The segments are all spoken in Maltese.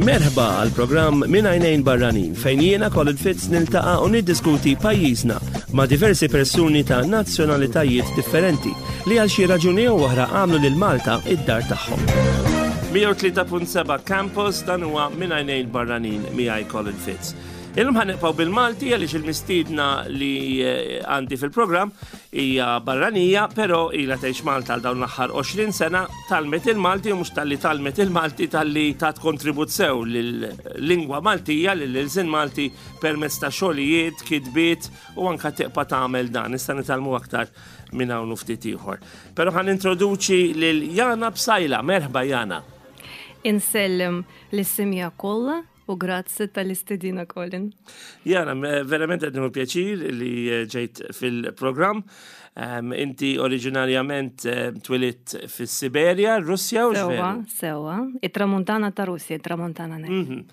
Merħba għal programm Minn Għajnejn Barranin fejn jiena Colin Fitz niltaqa' u niddiskuti pajjiżna ma' diversi persuni ta' nazzjonalitajiet differenti li għal xi raġuni jew oħra għamlu lil Malta id-dar tagħhom. 103.7 Campus dan huwa Minn Għajnejn Barranin miegħi Colin Fitz. Illum ħa nibqgħu bil-Malti għaliex il-mistiedna li eh, għandi fil-programm hija barranija, però ilha tgħix Malta għal dawn l-aħħar 20 sena, talmet il-Malti u mhux talli talmet il-Malti talli tat kontribut sew lill-lingwa Maltija, lill-ilsien Malti permezz ta' xogħlijiet, kitbiet u anka tibqa' tagħmel dan. Issa nitgħallmu aktar minn hawn u ftit ieħor. Però ħan introduċi lil Jana Psaila. Merħba Jana. Insellem lis-simja kollha U grazzi tal-istedina Colin. Jana, verament qed nieħu pjaċir li eh, ġejt fil-programm. Inti oriġinarjament eh, twilidt fis-Siberja, Russja u Sewa, sewa. It-tramuntana ta' Russja, it-tramuntana nek. Mhm.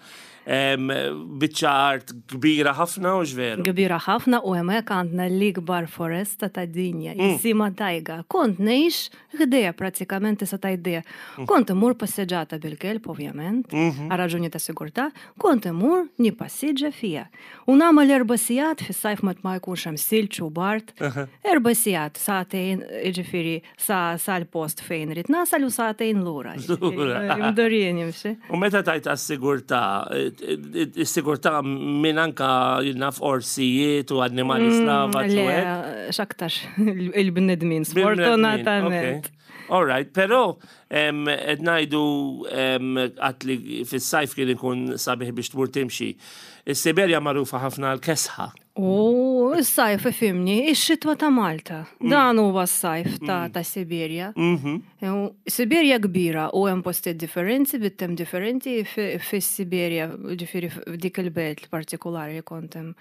Biċċa art kbira ħafna u veru. Kbira ħafna u hemmhekk għandna l-ikbar foresta tad-dinja, jisimha tajga. Kont ngħix Ħdejja prattikament tista' tgħid ħdejja. Mm. Kont immur passeġġata bil-kelb ovvjament, mhm. għal raġuni ta' sigurtà, kont immur nippassiġġa fija. U nagħmel erba' sigħat fis-sajf ma ma jkunx hemm silġ u bart. Erba' sigħat, sagħtejn, jiġifieri sa sal-post fejn rid nasal u sagħtejn lura. Mdorrijin jimxi. U meta tajt għas-sigurtà, is-sigurtà minn anka naf orsijiet u annimali mm, slava. Le, x'aktarx. Il-bnedmin, sfortunatament. All right, pero qed ngħidu qatt li fis-sajf kien ikun sabiħ biex tmur timxi. Is-Siberja magħrufa ħafna għal kesħa. U s-sajf ifimni, ix-xitwa ta' Malta. Mm. Dan huwa s-sajf ta' mm. ta' Sibirja. Mhm. Sibirja kbira u hemm postijiet differenti, bit-tem differenti fis-Sibirja, ġifieri f'dik il-belt partikolari li kont hemm.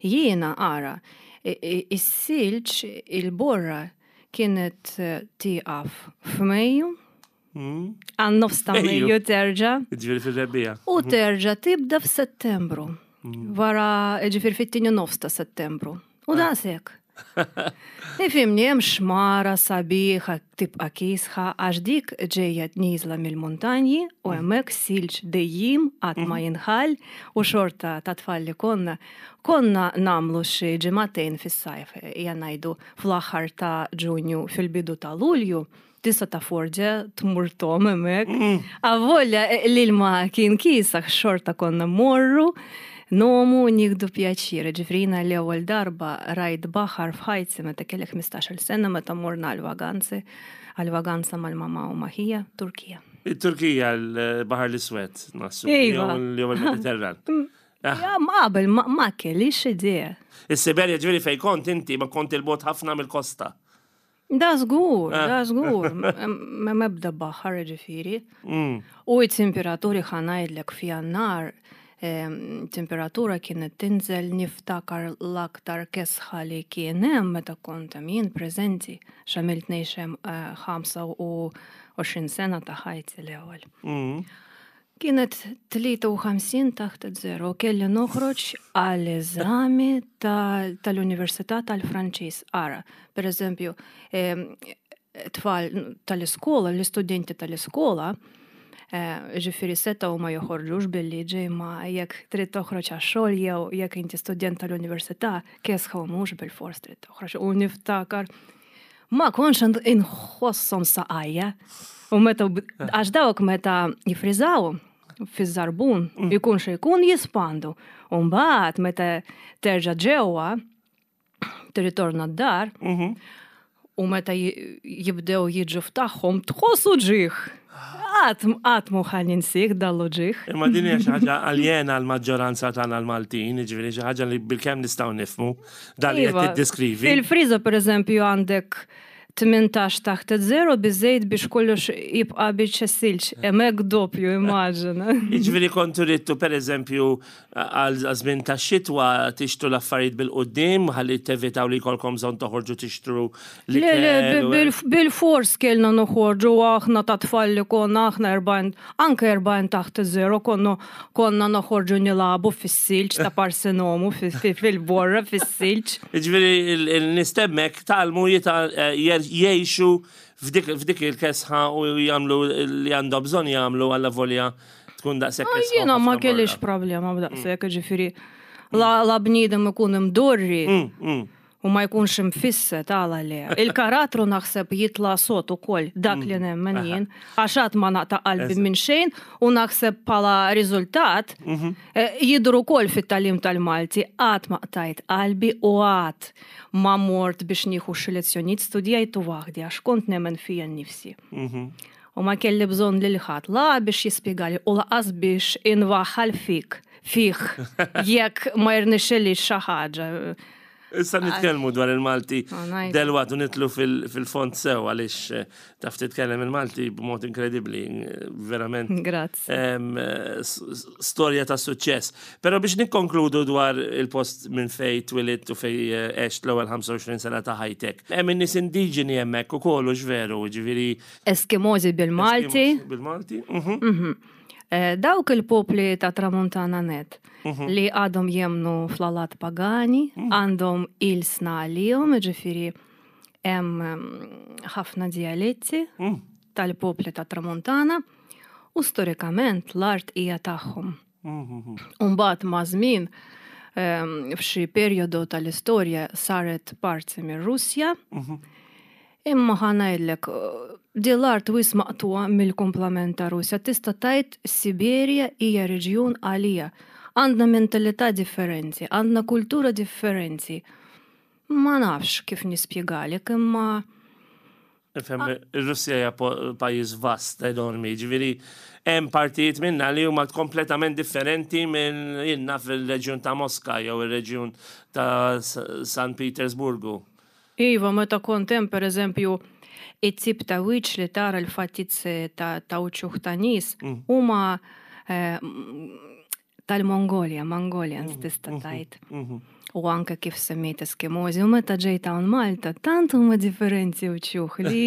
Jiena ara, is-silġ, il-borra kienet tieqaf f'Mejju, hmm. għan nofs ta' Mejju terġa'. Ġifieri fir-rebbiegħa. U mhm. terġa' tibda f'Settembru. Hmm. Wara, ġifieri fit-tieni nofs ta' Settembru. U ah. daqshekk. Ifimni hemm xmara sabiħa tibqa' kiesħa għax dik ġejja nieżla mill-muntanji u mm. hemmhekk silġ dejjim qatt ma mm. jinħall u xorta ta' tfal li konna konna nagħmlu xi ġimagħtejn fis-sajf, ejja ngħidu fl-aħħar ta' Ġunju fil-bidu ta' Lulju, tista' tafforġa tmur tom hemmhekk. Mm. Avolja eh, l-ilma kien kiesaħ xorta konna morru nomu nieħdu pjaċir. Ġifrina l-ewwel darba rajt baħar f'ħajti meta kellek 15-il sena meta morna għal-vaganzi, għal-vaganza mal-mama u maħija, Turkija. Il-Turkija l-Baħar l-Iswed, nassu. Iva. Jew il-Mediterran. Mm. Ah. Ja, ma qabel ma kellix idea. Is-Siberja ġifieri fejn kont inti ma kont il-bot ħafna mill-kosta. Da żgur, ah. da żgur, ma mebda baħar ġifieri. Mm. U it-temperaturi ħanajdlek f'jannar, temperatura kienet tinżel niftakar l-aktar kesħa li kien hemm meta kont hemm jien preżenti x'għamilt ngħix hemm 25 eh, sena ta' ħajti l-ewwel. Mm. Kienet 53 taħt zero, kelli noħroġ għal eżami tal-Università tal-Franċiż. Ara, per eżempju, tfal tal-iskola, l-istudenti tal-iskola, eh, ġifiri seta u ma joħorġux bil-liġi ma jekk trid toħroġ għax-xogħol jew jekk inti student tal-università, kesħa u mhux bil-fors trid toħroġ. U niftakar Ma kontx inħosshom saqajja. U meta għax dawk meta jifriżaw fiż-żarbun, mm. ikun xi jkun jispandu. U mbagħad meta terġa' ġewwa tirritorna d-dar, mhm. u meta jibdew jiġu f'tagħhom tħossu ġieħ. Qatt qatt mhu ħa ninsih dan l-uġigħ. Imma din hija xi ħaġa aljena għall-maġġoranza tagħna l-Maltin, jiġifieri xi ħaġa li bilkemm nistgħu nifhmu dan li qed Iva, tiddeskrivi. Fil-friża pereżempju għandek 18 taħt zero biżejt biex kollox jibqa' biċċa silġ. Hemmhekk doppju immaġina. Jiġifieri kontu ridtu pereżempju għal żmien tax-xitwa tixtru l-affarijiet bil-quddiem ħalli tevitaw li jkollkom bżonn toħorġu tixtru Le, le, bil-fors kellna noħorġu aħna ta' tfal li konna aħna 40, anke 40 taħt iż-żero konna konna noħorġu nilagħbu fis-silġ ta' parsinomu fil-borra fis-silġ. Jiġifieri n-nies t'hemmhekk tgħallmu eh, jgħixu f'dik il-kesħa u jagħmlu li għandhom bżonn jagħmlu għalla volja tkun daqshekk ah, kesħa. Jiena ma kellix problema b'daqshekk, ġifieri la bniedem ikun imdorri. U ma jkunx imfisset għala le. Il-karattru naħseb jitla' sod ukoll dak li mm. nemmen jien, għax għad ma naqta' qalbi minn xejn u naħseb bħala riżultat mhm. eh, jidhru wkoll fit-tagħlim tal-Malti qatt ma qtajt qalbi u qatt ma mort biex nieħu xi lezzjonijiet studjajtu waħdi għax kont nemmen fija nnifsi. Mhm. U ma kelli bżonn lil ħadd la biex jispjegali u laqas biex inwaħħal fik fih jekk ma jirnexxilix xi ħaġa. Issa nitkellmu dwar il-Malti delwaqt u nitlu fil-fond sew għaliex eh, taf titkellem il-Malti b'mod inkredibbli, eh, verament. Grazzi. Eh, storja ta' suċċess. Però biex nikkonkludu dwar il-post minn fej twilit u fej għext l-ewwel 25 sena ta' ħajtek. Hemm in-nies indiġeni hemmhekk ukoll u x'veru, ġifieri. Eskimozi bil-Malti. Bil-Malti. Mhm. mhm. Eh, dawk il-popli ta' tramuntana net mhm. li għadhom jemnu fl-alat pagani, mhm. għandhom il-sna għalihom, ġifiri hemm mm, ħafna dialetti mhm. tal-popli ta' tramuntana u storikament l-art hija tagħhom. Umbagħad ma' żmien ehm, f'xi perjodu tal-istorja saret parti mir-Russja. Imma ħa ngħidlek, din l-art wisq maqtugħa mill-kumplament ta' Russja. Tista' tgħid Siberja hija reġjun għalija. Għandna mentalità differenti, għandna kultura differenti. Ma nafx kif nispjegalek, imma Nifhem, ir-Russja hija pajjiż vast enormi, ġifieri hemm partijiet minnha li huma kompletament differenti minn jien naf il-reġjun ta' Moska jew ir-reġjun ta' San Petersburgu. Iva, meta kont hemm pereżempju, it-tip ta' wiċċ li tara l-fattizze ta' uċuħ ta' nies mm. huma eh, tal-Mongolja, Mongolians mm, tista' mm-hmm, tgħid. Mm-hmm. U anke kif semmejt Eskimozi, u meta ġejt hawn Malta, tant huma differenti uċuħ li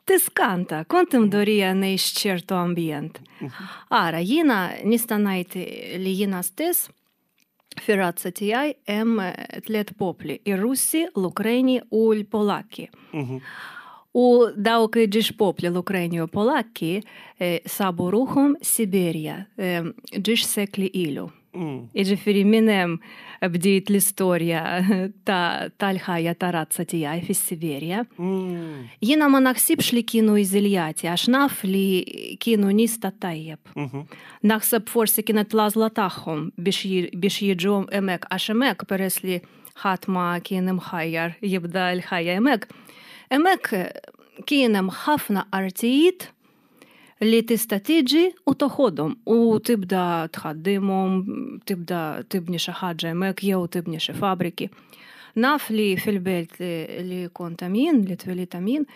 tiskanta, kont imdorija ngħix ċertu ambjent. Mm-hmm. Ara, jiena nista' ngħid li jiena stess Fir-razza tiegħi hemm tliet popli, ir-Russi, l-Ukreni u l-Polakki. Mhm. U dawk ġiex popli l-Ukreni u Polakki eh, sabu ruħhom Siberja eh, ġiex sekli ilu. Mm. Iġifieri minn hemm bdiet l-istorja tal-ħajja ta' razza tiegħi fis-Siberja. Mm. Jiena ma naħsibx li kienu iżiljati għax naf li kienu nies ta' tajjeb. Mhm. Naħseb forsi kienet l-għażla tagħhom biex jiġu hemmhekk għax hemmhekk peress li ħadd ma kien imħajjar jibda l-ħajja hemmhekk. Hemmhekk kien hemm ħafna artijiet li tista' tiġi u toħodhom u tibda tħaddimhom, tibda tibni xi ħaġa hemmhekk jew tibni xi fabriki. Naf li fil-belt li kont hemm jien, li twelidt hemm jien,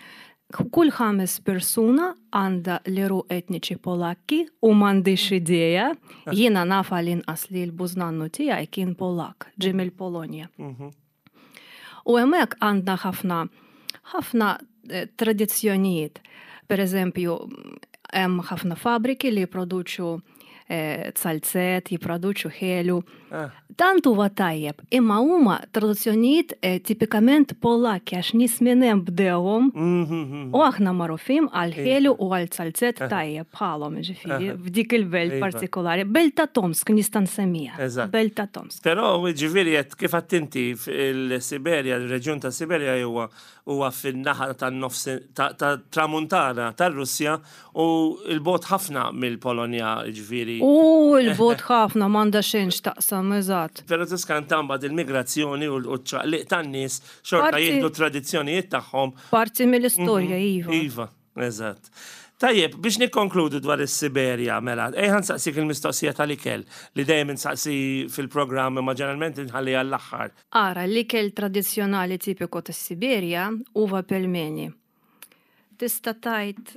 Kull ħames persuna għandha l-għeruq etniċi Polakki u m'għandix idea, jiena naf għall-inqas li l-bużnannu tiegħi kien Polakk, ġie mill-Polonja. Mhm. U hemmhekk għandna ħafna ħafna eh, tradizzjonijiet. Per eżempju, hemm ħafna fabriki li jipproduċu eh, zalzet, jipproduċu ħelu. Ah. Tant huwa tajjeb, imma huma traduzzjonijiet eh, tipikament Polakki għax nies minn hemm bdewhom mhm. u aħna magħrufin għal ħelu u għal zalzet ah. tajjeb bħalhom ġifieri ah. f'dik il-belt iva. partikolari. Belt ta' Tomsk nista' nsemmiha. Belt ta' Tomsk. Però ġifieri qed kif inti fil-Siberja, il-reġjun ta' Siberja huwa huwa fin-naħa tan-nofs tat-tramuntana tar-Russja u 'l bogħod ħafna mill-Polonja, jiġifieri. U 'l bogħod ħafna, m'għandha xejn x'taqsam, eżatt. Però tiskanta mbagħad il-migrazzjoni u ċ-ċaqliq tan-nies xorta jieħdu t-tradizzjonijiet tagħhom. Parti mill-istorja, iva. Iva, eżatt. Tajjeb, biex nikkonkludu dwar is-Siberja, mela, ejja nsaqsik il-mistoqsija tal-ikel li dejjem insaqsi fil-programm imma ġeneralment inħalliha għall-aħħar. Ara, l-ikel tradizzjonali tipiku tas-Siberja huwa pelmeni. Tista' tgħid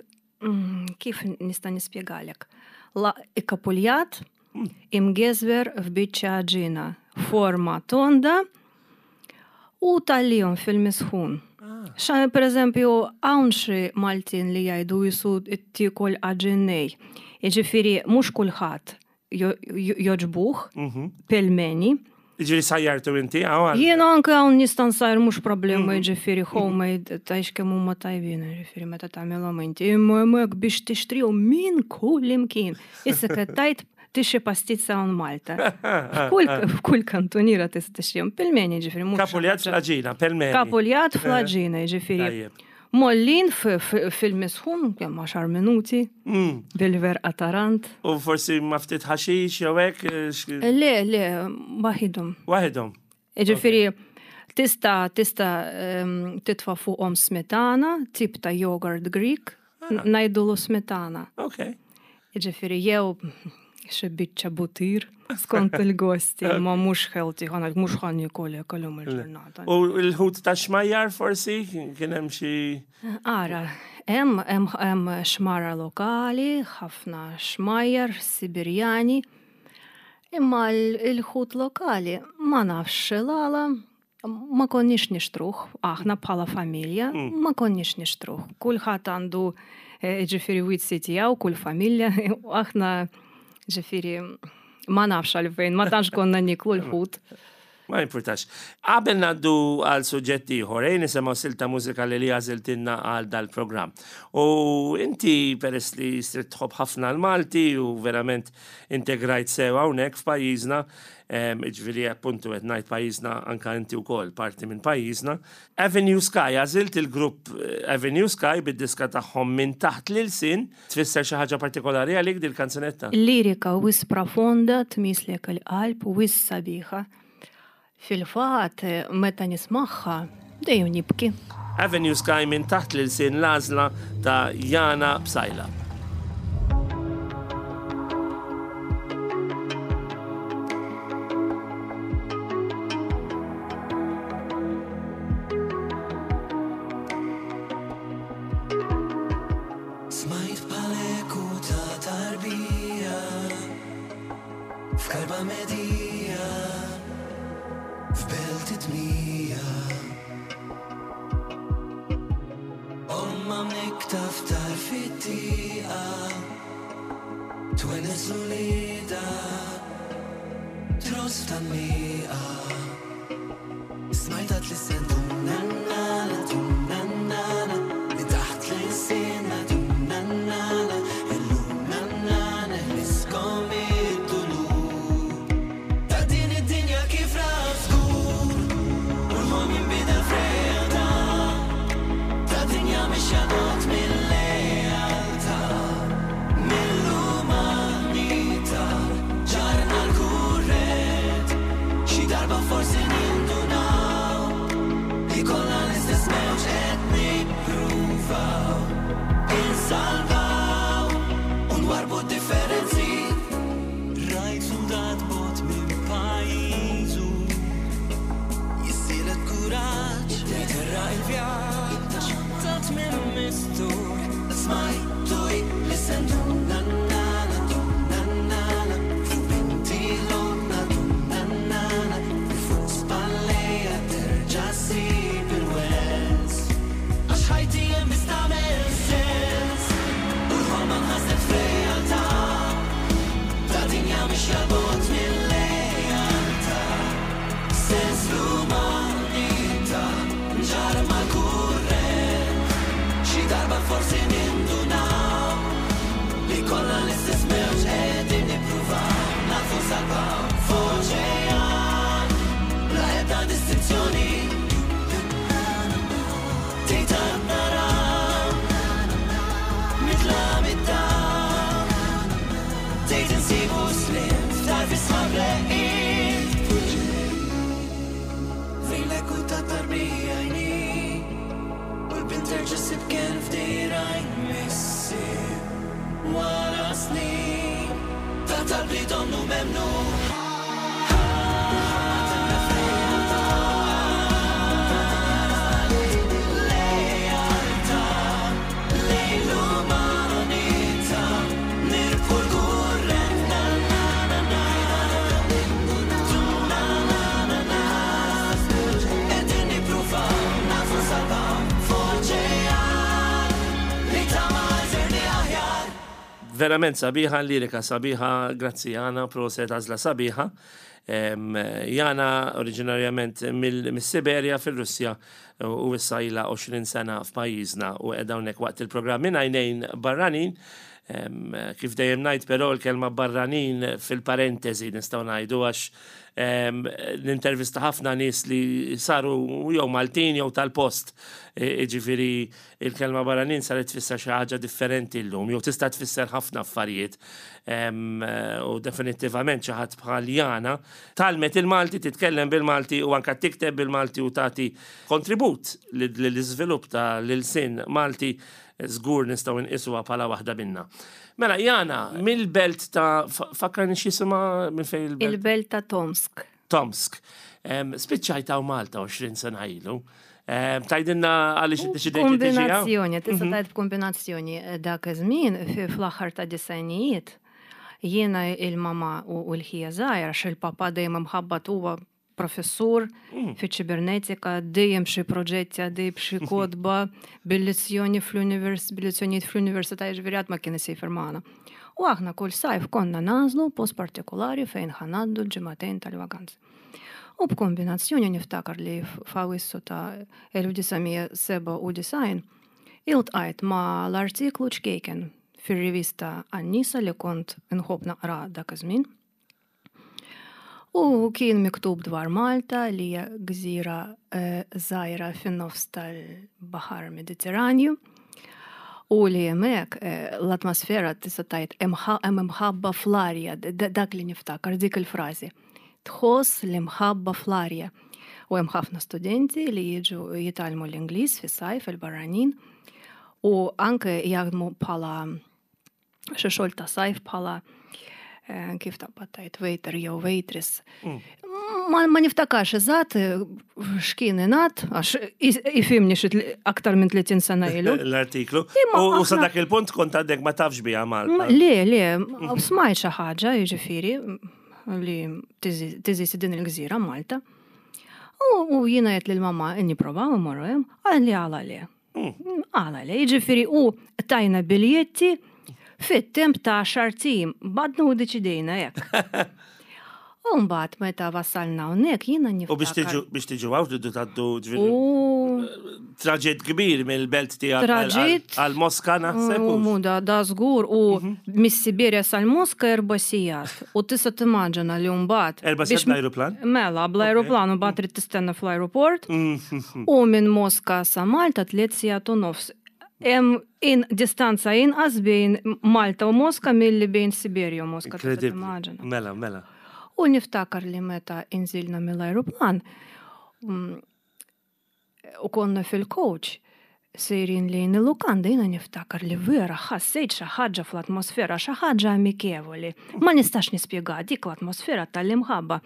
mm, kif nista' nispjegalek? La ikkapuljat, imgeżwer f'biċċa għaġina, forma tonda u tgħallihom fil-misħun. Ah. Xa, per eżempju, hawn xi Maltin li jgħidu jisu tiekol għaġin nej. Jiġifieri mhux kulħadd joġbuh mhm. pelmeni. Ġifieri sajjartu inti hawn? Jiena anke hawn nista' nsajr mhux problema jiġifieri homemade tgħix kemm huma tajbin jiġifieri meta tagħmilhom inti. Imma hemmhekk biex tixtrihom minn kull imkien. Issa qed tgħid tixtri pastizza hawn Malta. F'kull kantuniera tista' tixtrihom. Pelmeni jiġifieri mhux. Kapuljat fl-għaġina, pelmeni. Kapuljat fl-għaġina jiġifieri. Mollin fil-misħun, kemm għaxar minuti, mm. bil-verqa tarant. U forsi ma ftit ħaxix jew hekk? Eh, le, le, waħidhom. Waħidhom. Ġifieri tista' tista' ehm, titfa' fuqhom smetana, tip ta' yogurt Greek, ah. ngħidulu smetana. Ok. Jiġifieri jew xi biċċa butir skont il-gosti, ma mhux healthy ħana mhux ħan nikol hekk illum il-ġurnata. U l-ħut ta' xmajjar forsi kien hemm xi. Ara, hemm hemm xmara lokali, ħafna xmajjar Sibirjani, imma l-ħut lokali ma nafx l-għala Ma konniex nixtruh, aħna bħala familja, mm. ma konniex nixtruh. Kulħadd għandu eh, ġifieri wizzi tiegħu, kull familja, u aħna ġifieri ma nafx għalfejn, ma tantx konna niklu l-ħut. Ma jimpurtax. Qabel naddu għal suġġett ieħor, ejn nisimgħu silta mużikali li għażiltilna għal dal-programm. U inti peress li sirt tħobb ħafna l-Malti u verament integrajt sew hawnhekk f'pajjiżna, Ġifieri appuntu qed ngħid pajjiżna anka inti wkoll parti minn pajjiżna. Avenue Sky, għażilt il-grupp eh, Avenue Sky bid-diska tagħhom minn taħt l-ilsien, tfisser xi ħaġa partikolari għalik dil-kanzunetta? Lirika wis profonda tmislek il-qalb wis sabiħa. Fil-fatt, meta nismagħha, dejjem nibki. Avenue Sky minn taħt l-ilsien l-għażla ta' Jana Psaila. Smajt bħal-eku ta' tarbija F'karba medija F'belt id-dmija Omma mnikta f'tar fit-tieqa Twenes l-ulieda Tross f'tgħanniqa Smajtha tlissen dum-na-na-na, dum-na-na-na Minn taħt l-ilsienna dum-na-na-na Illum na-na neħliskom mid-dulur Ta' din id-dinja kif raf żgur U l-ħolm jinbidel f'realtà Ta' dinja mixja bogħod mill-lealtà Mill-umanità ġarrna l-kurrent Xi darba forsi nindunaw Li kollha l-istess mewġ qed nippruvaw Insalvaw u nwarrbu d-differenzi Rajt suldat bogħod minn pajjiżu Jissielet b'kuraġġ Jiterraq il-vjaġġ Ta' tmiem mistur Smajtu jlissen dum-na-na-na, dum-na-na-na Fuq binti l-għodna dum-na-na-na Li fuq spallejha terġa' ssib il-wens Għax ħajti hemm biss tagħmel sens U l-ħolma nħasdet f'realtà Ta' dinja mixja 'l bogħod mill-lealtà Sens l-umanità nġarr mal-kurrent Xi darba forsi nindunaw Li kollha l-istess mewġ qegħdin nippruvaw Nafu nsalvaw f'oċean Bla ebda distinzjoni Tgħid għad naraw Mitla mid-dawl Tgħid insibu sliem f'tarf is-sħab reqqiet Fejn l-eku ta' tarbija jni U l-bint terġa' ssib kenn f'dirgħajn missier Wara snin ta' talb li donnu memnu Verament sabiħa, lirika sabiħa, grazzi Jana, proset għażla sabiħa. Jana oriġinarjament mill-Siberja fil-Russja u issa ilha 20 sena f'pajjiżna u qiegħda hawnhekk waqt il-programm minn għajnejn barranin. Kif dejjem ngħid però l-kelma barranin fil-parentesi nistgħu ngħidu għax nintervista ħafna nies li saru jew Maltin jew tal-post. Jiġifieri Il-kelma barranin saret tfisser xi ħaġa differenti llum, jew tista' tfisser ħafna affarijiet. U definittivament xi ħadd bħal Jana tgħallmet il-Malti, titkellem bil-Malti u anke tikteb bil-Malti u tagħti kontribut lill-iżvilupp ta' l-ilsien Malti żgur nistgħu nqisuha bħala waħda minna. Mela, Jana, mill-belt ta' fakkarni x'jisimha minn fejn il-belt? Il-belt ta' Tomsk. Tomsk. Spiċċajt hawn Malta 20 sena ilu. Tajdinna għaliex iddeċidejt li tiġi hawn? Kombinazzjoni, tista' mhm. tgħid b'kombinazzjoni eh, dak iż-żmien fl-aħħar ta' disajnijiet jiena il-mama u l-ħija żgħira għax il-papa dejjem imħabbat huwa professur mm. fi ċibernetika, dejjem xi proġetti għaddej b'xi kodba, bil-lezzjoni fl-univers, bil-lezzjonijiet fl-università jiġifieri ma kien isejfer magħna. U aħna kull sajf konna nagħżlu post partikolari fejn ħa ngħaddu l-ġimagħtejn tal-vaganzi. U b'kombinazzjoni niftakar li f'Awissu ta' 1997 iltqajt ma' l-artiklu ċkejken fir-rivista Għan-Nisa li kont inħobb naqra dak iż-żmien. U kien miktub dwar Malta li hija gżira eh, żgħira fin-nofs tal-Baħar Mediterranju. U li hemmhekk eh, l-atmosfera tista' tgħid hemm imħabba fl-arja, dak li niftakar dik il-frażi. Tħoss l-imħabba fl-arja. U hemm ħafna studenti li jiġu jitgħallmu l-Ingliż fis-sajf il-barranin u anke jaħdmu bħala xi xogħol ta' sajf bħala eh, kif taqbad tajt waiter jew waitress. Mm. Ma, ma niftakarx eżatt eh, x'kien ingħad għax ifimni xi aktar minn 30 sena ilu. L-artiklu. U sa dak il-punt kont għandek ma tafx biha Malta. Le, le, mhm. smajt xi ħaġa jiġifieri li tiżisi din il-gżira Malta. U jiena qed lil mamma nipprovaw immorru hemm, għal li għala le. Mm. Għala le, ġifiri u tajna biljetti fit-temp ta' xartim, badna u deċidejna jek. U mbagħad meta wassalna hawnhekk jiena niftakar. U biex tiġu biex tiġu hawn tridu tgħaddu ġifieri traġitt kbir mill-belt tiegħek Traġitt għal Moska naħseb. U da da żgur u mhm. mis-Sibirja sal-Moska erba' sigħat. U tista' timmaġina li mbagħad. Erba' sigħat bl-ajruplan? Mela, bl-ajruplan u mbagħad trid tistenna fl-ajruport. Mhm. U minn Moska sa Malta tliet sigħat u nofs. Hemm in distanza inqas bejn Malta u Moska milli bejn Siberja u Moska. Inkredibbli. Mela, mela. U niftakar li meta inżilna mill-ajruplan mm, u konna fil-coach sejrin lejn il-lukanda jiena niftakar li vera ħassejt xi ħaġa fl-atmosfera, xi ħaġa amikevoli. Ma nistax nispjega dik l-atmosfera tal-imħabba.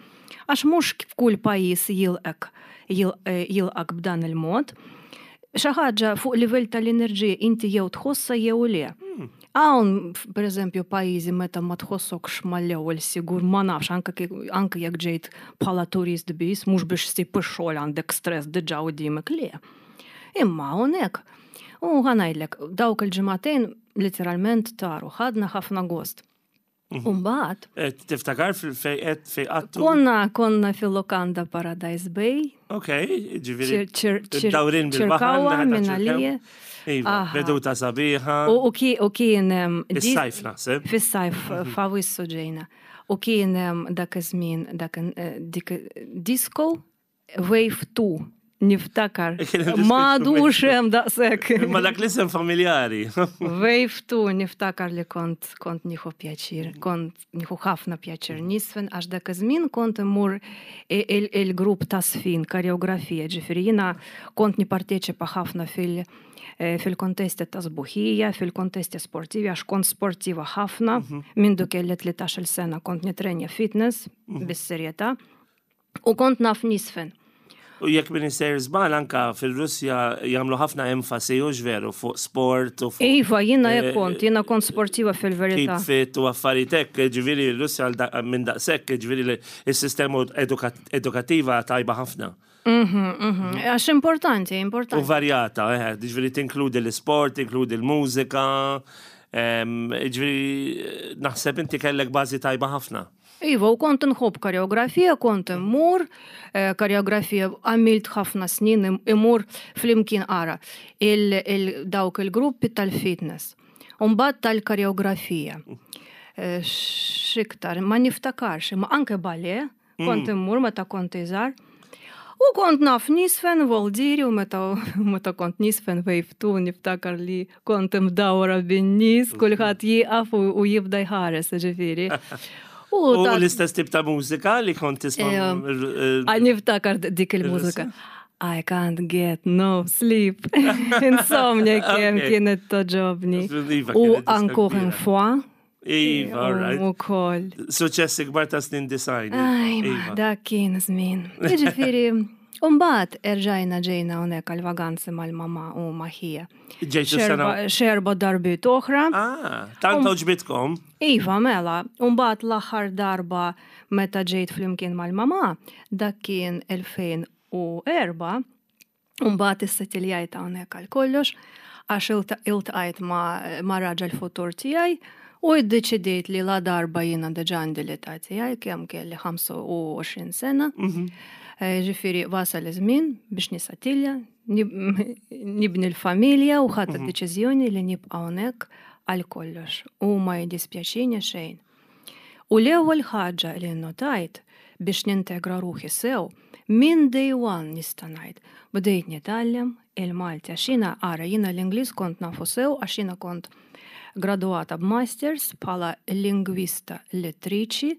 Għax mhux f'kull pajjiż jilqek jilqak b'dan il-mod. Xi ħaġa fuq livell tal-enerġija inti jew tħossha jew le. Hmm. Hawn, pereżempju, pajjiżi meta ma tħossokx mal-ewwel sigur ma nafx anke anke jekk ġejt bħala turist biss, mhux biex ssib ix-xogħol għandek stress diġà quddiemek le. Imma hawnhekk, u ħa ngħidlek, dawk il-ġimagħtejn literalment taru, ħadna ħafna gost. Mhm. Umbagħad. Eh, tiftakar fej qed fej qattu? Konna konna fil-lokanda Paradise Bay. Ok, ġifieri. Dawrin bil-baħar. Minn għalija. Iva, veduta sabiħa. U kien. Fis-sajf naħseb. Fis-sajf, mhm. f'Awissu ġejna. U kien dak iż-żmien dak eh, dik disco Wave 2 niftakar. Ma għadux hemm daqshekk. Ma dak l-isem familjari. Wave 2 niftakar li kont kont nieħu pjaċir, kont nieħu ħafna pjaċir nisfen għax dak iż-żmien kont immur il-grupp ta' sfin, koreografija, ġifieri jiena kont nipparteċipa ħafna fil- eh, fil-kontesti ta' sbuħija, fil-kontesti sportivi, għax kont sportiva ħafna, mhm. minn du kelli 13 sena kont nitrenja fitness mhm. bis-serjetà. U kont naf nisfen. U jekk min isejjer żball anka fil-Russja jagħmlu ħafna enfasi u veru fuq sport u fuq. Iva, jiena hekk eh, kont, jiena kont sportiva fil-verità. Keep fit u affarijiet hekk, ġifieri l-Russja minn daqshekk, ġifieri s-sistema edukattiva tajba ħafna. Mhm, mhm. Għax importanti, importanti. U varjata, eh, ġifieri tinkludi l-isport, tinkludi l-mużika. Ġifieri naħseb inti kellek bażi tajba ħafna. Iva, u kont nħobb koreografija, kont immur, eh, koreografija għamilt ħafna snin imur flimkien ara il dawk il-gruppi tal-fitness. Umbagħad tal-koreografija. Eh, x'iktar, ma niftakarx, imma anke ballet, kont immur meta kont iżgħar. U kont naf nisfen voldiri u meta, meta kont nisfen wave 2 niftakar li kont imdawra bin-nies, kulħadd jieqaf u, u jibda jħares, ġifieri. U l-istess tip ta' mużika li kont tisma' Għal niftakar dik il-mużika. I can't get no sleep. Insomnia kemm kienet togħġobni. Iva, U kienet diska encore une kbira. fois. Iva, all right. U koll. Suċessi kbar ta' snin design. Aj, ma, Iva. dak kien żmien. Jiġifieri, Umbagħad erġajna ġejna hawnhekk għal-vaganzi mal-mama u ma' ħija. Ġejtu sena. Xerba darbiet oħra. Ah, tant għoġbitkom. Iva, mela, umbagħad l-aħħar darba meta ġejt flimkien mal-mama, dak kien 2004, umbagħad issettiljajt hawnhekk għal kollox, għax iltqajt ma' raġel futur tiegħi u iddeċidejt li la darba jiena diġà għandi l-età tiegħi kemm kelli 25 sena. Ġifieri wasal iż-żmien biex nissettilja, nibni l-familja u ħadt deċiżjoni li nibqa' hawnhekk għal kollox u ma jiddispjaċini xejn. U l-ewwel ħaġa li notajt biex nintegra ruħi sew, minn day one nista' ngħid, bdejt nitgħallem il-Malti għax jiena ara jiena l-Ingliż kont nafu sew għax jiena kont graduata b'masters bħala lingwista lettriċi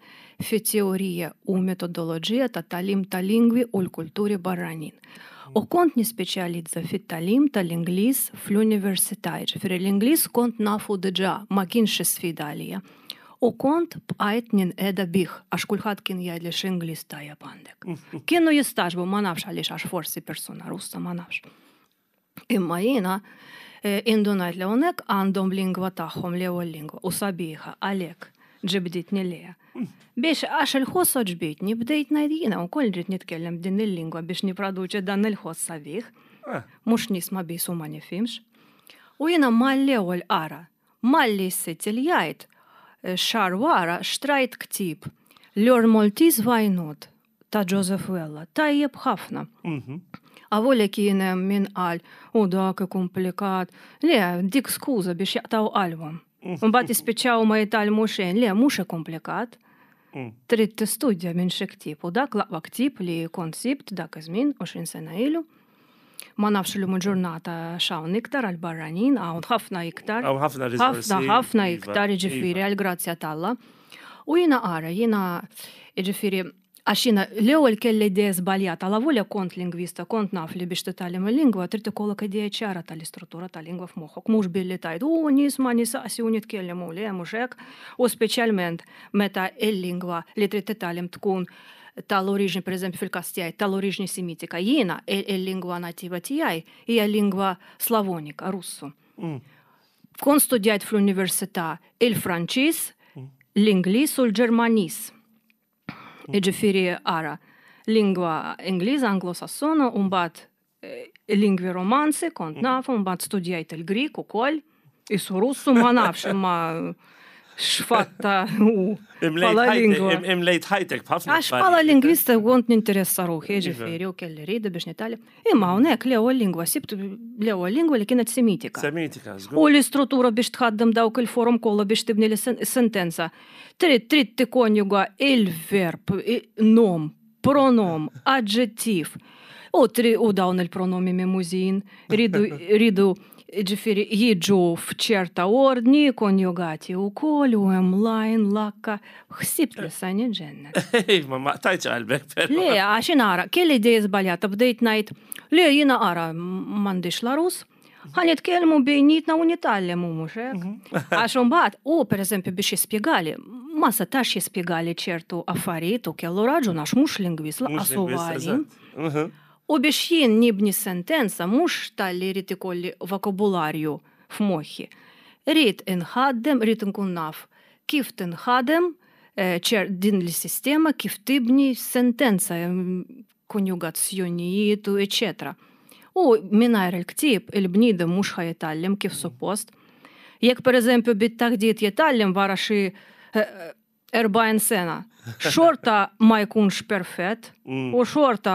fi teorija u metodoloġija ta' tagħlim ta' lingwi u l-kulturi barranin. U kont nispeċjalizza fit-tagħlim tal-Ingliż fl-università, ġifieri l-Ingliż kont nafu diġà, ma kienx sfida għalija. U kont bqajt ninqeda bih, għax kulħadd kien jgħid li x'Ingliż tajjeb għandek. Kienu jistagħġbu, ma nafx għaliex għax forsi persuna Russa, ma nafx. Imma jiena indunajt li hawnhekk għandhom lingwa tagħhom l-ewwel lingwa u sabiħa għalhekk ġibditni lejha. Biex għax il-ħoss ġbitni bdejt ngħid jiena wkoll rrid nitkellem b'din il-lingwa biex niproduċi dan il-ħoss sabiħ. Mhux nisma' biss u ma nifhimx. U jiena mal-ewwel qara, malli ssettiljajt xahar wara xtrajt ktieb Learn Maltese Why Not ta' Joseph Vella, tajjeb ħafna. Avolja kien hemm min qal u dak komplikat. Le, dik skuża biex jaqtaw qalbhom. Mbagħad jispiċċaw ma jitgħallmu xejn. Le, mhux komplikat. Trid tistudja minn xi ktieb u dak l-aqwa ktieb li kont sibt dak iż-żmien 20 sena ilu. Ma nafx li ġurnata x'hawn iktar għal barranin, hawn ħafna iktar. Hawn ħafna riżorsi. Ħafna, ħafna Iva, iktar, jiġifieri iva. għal grazzja t'Alla. U jiena ara, jiena jiġifieri għax jiena l-ewwel kelli idea żbaljata, la volja kont lingwista, kont naf li biex titgħallem il-lingwa trid ikollok idea ċara tal-istruttura tal-lingwa f'moħħok, mhux billi tgħid u nisma' nisaqsi u nitkellem u le mhux hekk, u speċjalment meta il-lingwa li trid titgħallem tkun tal-oriġni, per eżempju fil-każ tiegħi, tal-oriġni semitika. Jiena il-lingwa nativa tiegħi hija lingwa slavonika, Russu. Kont studjajt fl-università il-Franċiż, l-Ingliż u l-Ġermaniż. Jiġifieri ara, lingwa Ingliża, Anglosassona, u mbagħad lingwi romanzi kont nafu, mbagħad studjajt il-Grik ukoll, isu Russu ma nafx imma x'fatta u bħala lingwa. Imlejt ħajtek b'ħafna. Għax bħala lingwista kont ninteressa ruħi, ġifieri, u kelli rida biex nitgħallem. Imma hawnhekk l-ewwel lingwa sibt l-ewwel lingwa li kienet semitika. Semitika, żgur. U l-istruttura biex tħaddem dawk il-forum kollha biex tibni l-sentenza. Trid trid tikkonjuga il-verb, nom, pronom, aġġettiv. U, u dawn il-pronomi memużin ridu ridu ġifieri jiġu f'ċerta ordni, konjugati u koll, u hemm line, lakka. Ħsibt li sa niġġennen. Ma ma qtajtx qalbek, però. Le, għax nara, kelli idea żbaljata, bdejt ngħid, le jiena ara m'għandix la Rus, ħa nitkellmu bejnietna u nitgħallem u mhux hekk. Għax imbagħad u pereżempju biex jispjegali, ma setax jispjegali ċertu affarijiet u kellu raġun għax mhux lingwist Mhux lanqas huwa lingwist, għalim. eżatt. U biex jien nibni sentenza mhux talli rrid ikolli vokabularju f'moħħi. Rrid inħaddem, rrid nkun naf kif tinħadem ċer din l-sistema kif tibni sentenza, konjugazzjonijiet u eċetera. U mingħajr il-ktieb il-bniedem mhux ħa jitgħallem kif suppost. Jekk pereżempju bit-taħdit jitgħallem wara xi 40 sena, xorta ma jkunx perfett u xorta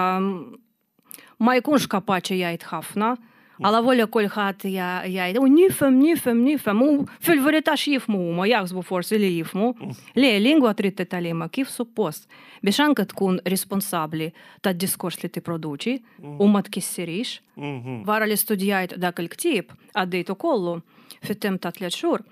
ma jkunx kapaċi jgħid ħafna. Għala volja kulħadd jgħid, u nifhem, nifhem, nifhem, u fil-verità x'jifhmu huma, jaħsbu forsi li jifhmu. Le, lingwa trid titgħallimha kif suppost biex anke tkun responsabbli tad-diskors li tipproduċi u ma tkissirix. Wara li studjajt dak il-ktieb, għaddejtu kollu fit-temp ta' 3 xhur,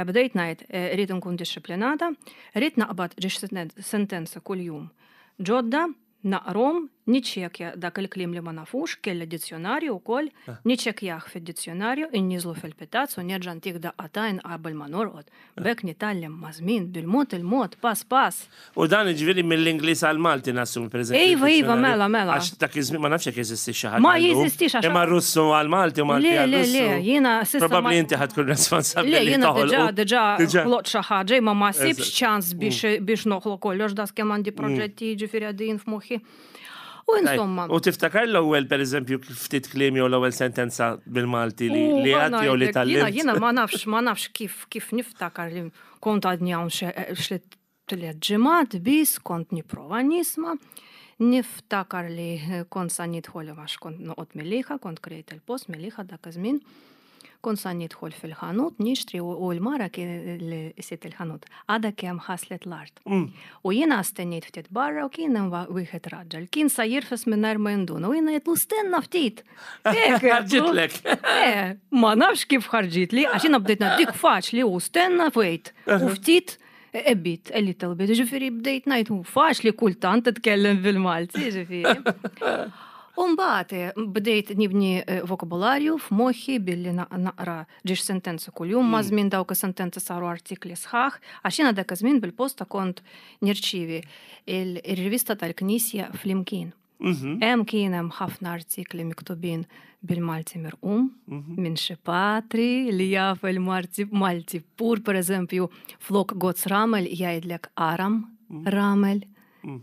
bdejt ngħid rrid nkun dixxiplinata, rrid naqbad ġiex sentenza kuljum ġodda, naqrahom, niċċekkja dak il-kliem li ma nafux, kelli dizzjonarju wkoll, niċċekkjah fid-dizzjonarju, inniżlu fil-pitazz u nerġa' ntih daqqa t'għajn qabel ma norqod. B'hekk nitgħallem maż-żmien, bil-mod il-mod, pass pass. U dan jiġifieri mill-Ingliż għall-Malti nassumi pereżempju. Iva, iva, mela, mela. Għax dak iż-żmien ma nafx jekk jeżistix xi ħaġa. Ma jeżistix għax. Imma Russu għall-Malti u Malti għall-Russu. Le, le, le, jiena s'issa. Probabbli inti ħa tkun responsabbli. Le, jiena diġà, diġà ħloqt xi ħaġa imma ma sibx ċans biex noħloq kollox daqs kemm għandi proġetti jiġifieri għaddejjin f'moħħi. U insomma. U tiftakar l-ewwel pereżempju ftit kliem jew l-ewwel sentenza bil-Malti li għad jew li tgħallimt? Jiena ma nafx, ma nafx kif kif niftakar li kont għadni hawn xi tliet ġimgħat biss kont nipprova nisma'. Niftakar li kont sa nidħol għax kont noqgħod Mellieħa, kont krejt il-post Mellieħa dak iż-żmien. Kont sa nidħol fil-ħanut nixtri u l-mara li sidt il-ħanut għadha kemm ħaslet l-art. U jiena stennejt ftit barra u kien hemm wieħed raġel. Kien sa jirfes mingħajr ma jinduna u jiena għedtlu stenna ftit. Ħarġitlek. Eh, ma nafx kif ħarġitli għax jiena bdejt dik faċli u stenna wait. U ftit a bit, a little bit, ġifieri bdejt ngħid hu faċli kultant titkellem bil-Malti, ġifieri. U mbagħad eh, bdejt nibni eh, vokabularju f'moħħi billi naqra ġiex sentenza kuljum, ma' żmien dawk is-sentenzi saru artikli sħaħ, għax jiena dak iż-żmien bil-posta kont nirċievi il-rivista tal-Knisja Flimkien. Mhm. Hemm kien hemm ħafna artikli miktubin bil-Malti mirqum mhm. minn xi patri li jaf il-Malti Malti pur pereżempju flok Gozz Ramel jgħidlek Aram mhm. Ramel. Mm.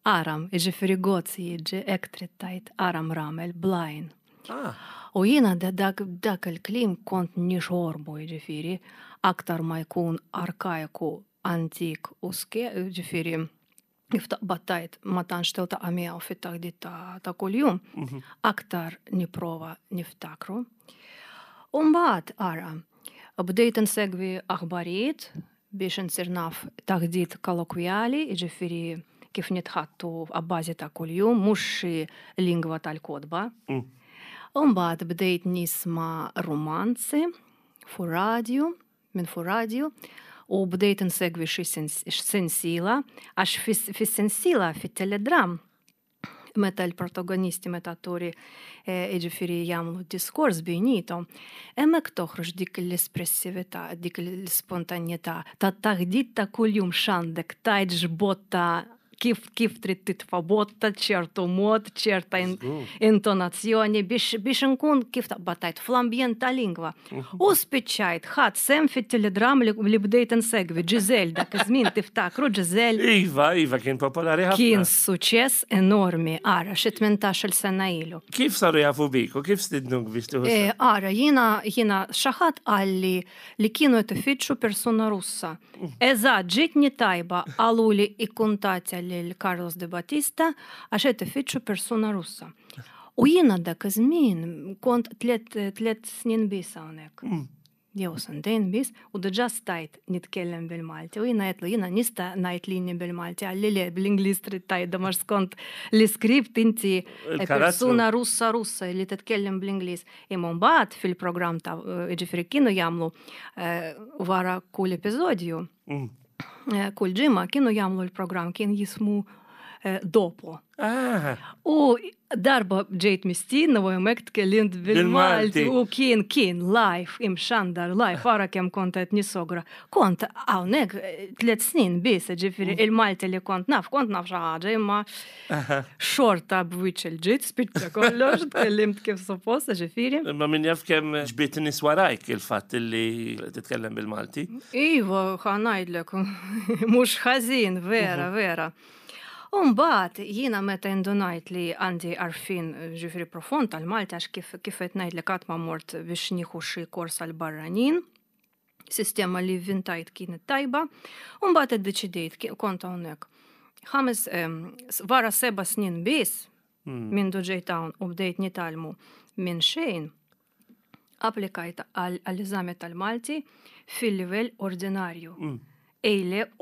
Aram, jiġifieri Gozz jiġi hekk trid tgħid Aram Ramel blajn. Ah. U jiena dak, dak il-kliem kont nixorbu jiġifieri aktar ma jkun arkajku antik u ske, jiġifieri kif taqbad tgħid ma tantx tiltaqa' miegħu fit-taħdit ta' kuljum, mhm. aktar nipprova niftakru. U mbagħad ara, bdejt insegwi aħbarijiet biex insir naf taħdit kollokwjali, jiġifieri kif nitħattu għabbażi ta' kuljum, mhux xi lingwa tal-kotba. Mm. U mbagħad bdejt nisma' romanzi fuq radju minn fuq radju u bdejt insegwi xi sensiela għax fis-sensiela fit-teledram meta l-protagonisti meta atturi eh, jiġifieri jagħmlu diskors bejnietom, hemmhekk toħroġ dik l-espressività, dik l-ispontanjetà ta' taħdit ta' kuljum x'għandek tgħid x'botta kif kif trid titfa' botta ċertu mod, ċerta intonazzjoni biex biex nkun kif taqbad tgħid fl-ambjent ta' lingwa. Mhm. U spiċċajt ħadd sem fit-teledram li bdejt insegwi Ġiżel dak iż-żmien tiftakru Ġiżel. Iva, iva kien popolari ħafna. Kien suċċess enormi, ara xi 18-il sena ilu. Kif saru jafu bik u kif stidnuk biex tieħu? Eh, ara, jiena jiena xi ħadd qalli li kienu qed ifittxu persuna Russa. Eżatt, ġietni tajba, qaluli ikkuntattja lil Carlos De Battista għax qed ifittxu persuna Russa. U jiena dak iż-żmien kont tliet snin biss hawnhekk. Mm. Jew sentejn biss, u diġà stajt nitkellem bil-Malti. U jiena għedtlu jiena nista' ngħid lini bil-Malti qalli le bl-Ingliż trid tgħidha għax skont l-iskript inti persuna Russa Russa li titkellem bl-Ingliż. Imma mbagħad fil-programm ta' jiġifieri kienu jagħmlu eh, wara kull episodju. Mm. Eh, kull ġimgħa kienu jagħmlu l-programm kien jismu eh, Dopo. Ah. U darba ġejt mistiedna u hemmhekk tkellimt bil-Malti u kien kien live imxandar live ara kemm kont qed nisogra. Kont hawnhekk tliet snin biss, ġifieri mm. il-Malti li kont naf, kont naf xi ħaġa imma Xorta b'wiċċ il-ġid, spiċċa kollox, tkellimt kif suppost, ġifieri. Imma min jaf kemm ġbiet nies warajk il-fatt li titkellem bil-Malti. Iva, ħa ngħidlek, mhux ħażin, vera, mhm. vera. U mbagħad jiena meta indunajt li għandi għarfien ġifieri profond tal-Malti għax kif kif qed ngħidlek qatt ma mort biex nieħu xi kors għal barranin. Sistema li vintajt kienet tajba, u mbagħad iddeċidejt kont hawnhekk. Ħames wara seba' snin biss mindu ġejt hawn u bdejt nitgħallmu minn xejn, applikajt għall-eżami tal-Malti fil-livell ordinarju.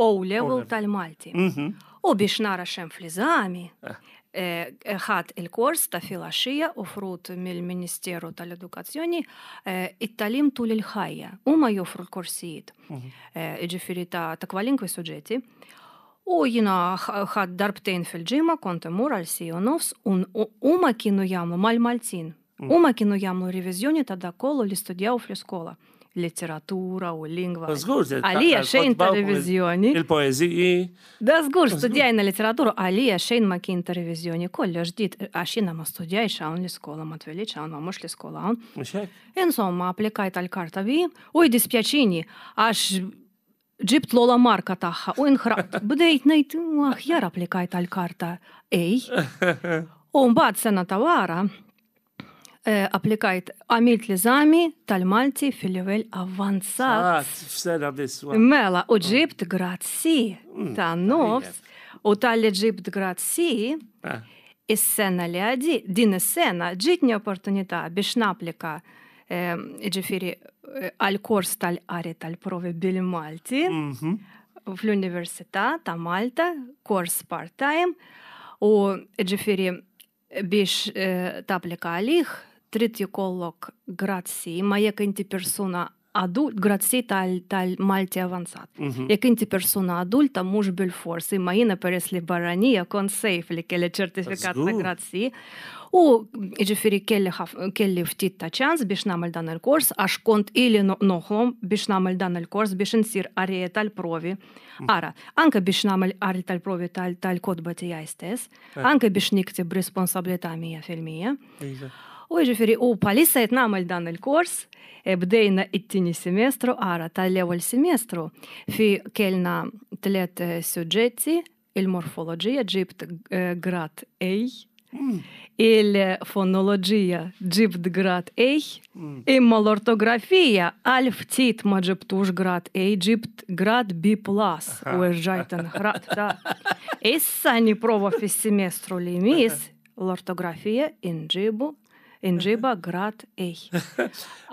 O level tal-Malti. U biex nara xem fl-eżami, eh. eh, ħadd il-kors ta' filgħaxija offrut mill-Ministeru tal-Edukazzjoni eh, it-tagħlim tul il-ħajja. Huma joffru l-korsijiet, ġifieri ta' kwalinkwe suġġetti. U jina ħadd darbtejn fil-ġimgħa kont immur għal siegħa u nofs u huma kienu jagħmlu mal-Maltin. Huma kienu jagħmlu reviżjoni ta' dak kollu li studjaw fl-iskola. Letteratura u lingwa. Żgur, Għalija xejn ta' reviżjoni. Il-poeżiji. Da żgur studjajna letteratura għalija xejn ma kien ta' reviżjoni kollox ġdid għax jiena ma studjajx hawn l-iskola ma twelidx hawn ma mhux l-iskola hawn. Mhux hekk? Insomma, applikajt għal karta B u jdispjaċini għax ġibt l-ola marka tagħha u inħraqt. Bdejt ngħid aħjar applikajt għal karta A. U mbagħad sena ta' wara eh, applikajt għamilt l-eżami tal-Malti fil-livell avvanzat. F'sena biss. Mela, u ġibt grad C mm, ta' nofs u tal-li ġibt grad C eh. is-sena li għaddi, din is-sena ġitni opportunità biex naplika ġifiri għal kors tal-qari tal-provi bil-Malti mhm. fl-Università ta' Malta, kors part-time, u ġifiri biex eh, tapplika għalih trid jkollok grad C, ma jekk inti persuna adult, grad C tal-Malti avanzat. Mhm. Jekk inti persuna adulta mhux bil-fors, imma jiena peress li barranija kont safe li kelli ċertifikat ta' grad C. U ġifiri kelli, kelli ftit ta' ċans biex nagħmel dan il-kors għax kont ili noħlom biex nagħmel dan il-kors biex insir qarija tal-provi. Mm. Ara, anke biex nagħmel qari tal-provi tal-kotba tiegħi stess, eh. anke biex nikteb responsabilità 100%. Iva. U ġifiri, u palissa qed nagħmel dan il-kors, e bdejna it-tieni semestru, ara tal-ewwel semestru fi kellna tliet eh, suġġetti Il-morfoloġija ġibt eh, grad A, mm. il-fonoloġija ġibt grad A, mm. imma l-ortografija għal ftit ma ġibtux grad A, ġibt grad B plus u rġajt nħraqt ta' Issa niprova fis-semestru li jmiss l-ortografija inġibu inġiba grad A.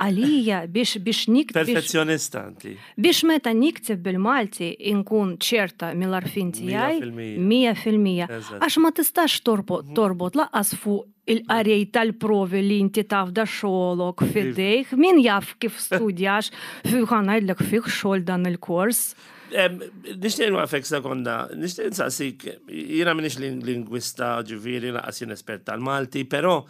Għalija biex biex nikteb. Perfezzjonista inti. Biex meta nikteb bil-Malti inkun ċerta mill-arfin tiegħi 100%. Għax ma tistax torbot mhm. torbot laqqas fuq il-qarej tal-provi li inti taf da xogħolok fidejh, min jaf kif studjax, ħa ngħidlek fih xogħol dan il-kors. Nixtieq nwaqfek sekonda, nixtieq nsaqsik, jiena m'iniex lingwista ġifieri laqas jien espert tal-Malti, però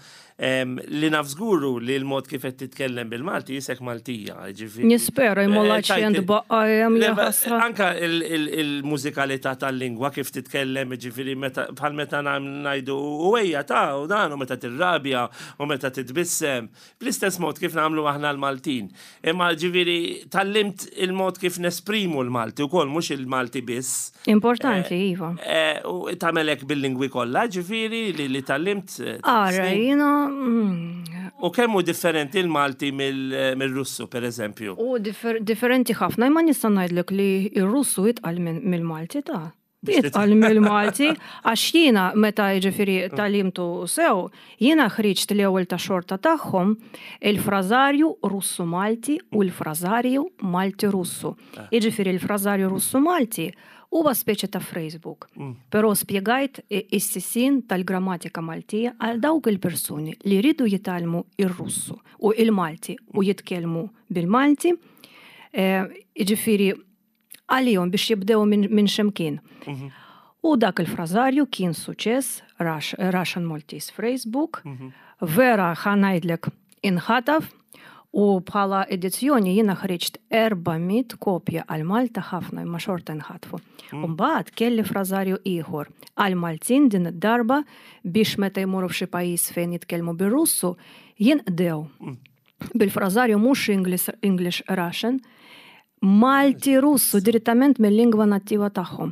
li naf żguru li l-mod kif qed titkellem bil-Malti jisek Maltija, ġifieri. Nispera jmolla eh, ċent baqa hemm ħasra. Anka il-mużikalità tal-lingwa kif titkellem, ġifieri bħal meta ngħidu u ejja ta' u dan u meta tirrabja u meta titbissem. Bl-istess mod kif nagħmlu aħna l-Maltin. Imma ġifieri tgħallimt il-mod kif nesprimu l-Malti wkoll mhux il-Malti biss. Importanti, eh, iva. Eh, u tagħmel hekk bil-lingwi kollha, ġifieri li li tgħallimt. Eh, Ara, jiena. Mm. U kemm hu differenti l-Malti mill-Russu, per eżempju? U differenti ħafna, imma nista' ngħidlek li r-Russu itqal mill-Malti ta' Itqal mill-Malti, għax jiena meta jiġifieri tagħlimtu sew, jiena ħriġt l-ewwel ta' xorta tagħhom il-frażarju Russu-Malti u l-frażarju Malti-Russu. Ah. Jiġifieri l-frażarju Russu-Malti huwa speċi ta' phrasebook. Mm. Però spjegajt is-sisin tal-grammatika Maltija għal dawk il-persuni li jridu jitgħallmu ir-Russu u il-Malti u mm. jitkellmu bil-Malti. Eh, jiġifieri għalihom biex jibdew minn ximkien. Mhm. U dak il-frażarju kien suċess, Russian Maltese Phrasebook, mhm. vera ħa ngħidlek inħataf u bħala edizzjoni jiena ħriġt 400 kopja għal Malta ħafna imma xorta nħatfu. Mm. Mbagħad kelli frażarju ieħor għal Maltin din id-darba biex meta jmorru f'xi pajjiż fejn jitkellmu bir-Russu jinqdew. Mm. Bil-frażarju mhux English, English Russian, Malti Russu direttament mill-lingwa nattiva tagħhom.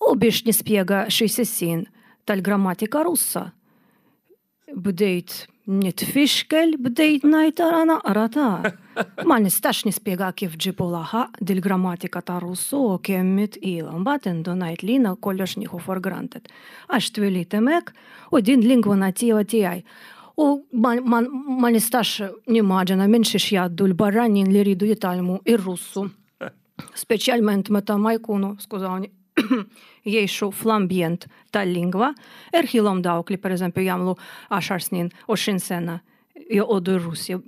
U biex nispjega xi sissin tal-grammatika Russa, bdejt Nitfixkel bdejt ngħid ara naqra ta'. Ma nistax nispjega kif ġibu laħaq dil-grammatika ta' Russu u kemm hi tqila. Mbagħad indunajt li jiena kollox nieħu for granted. Għax twilidt hemmhekk u din lingwa nativa tiegħi. U ma, ma, ma nistax nimmaġina minn xiex jgħaddu l-barranin li jridu jitgħallmu ir-Russu. Speċjalment meta ma jkunu, skużawni, jgħixu fl-ambjent tal-lingwa, erħilhom dawk li pereżempju jagħmlu 10 snin, 20 sena joqogħdu r-Russja.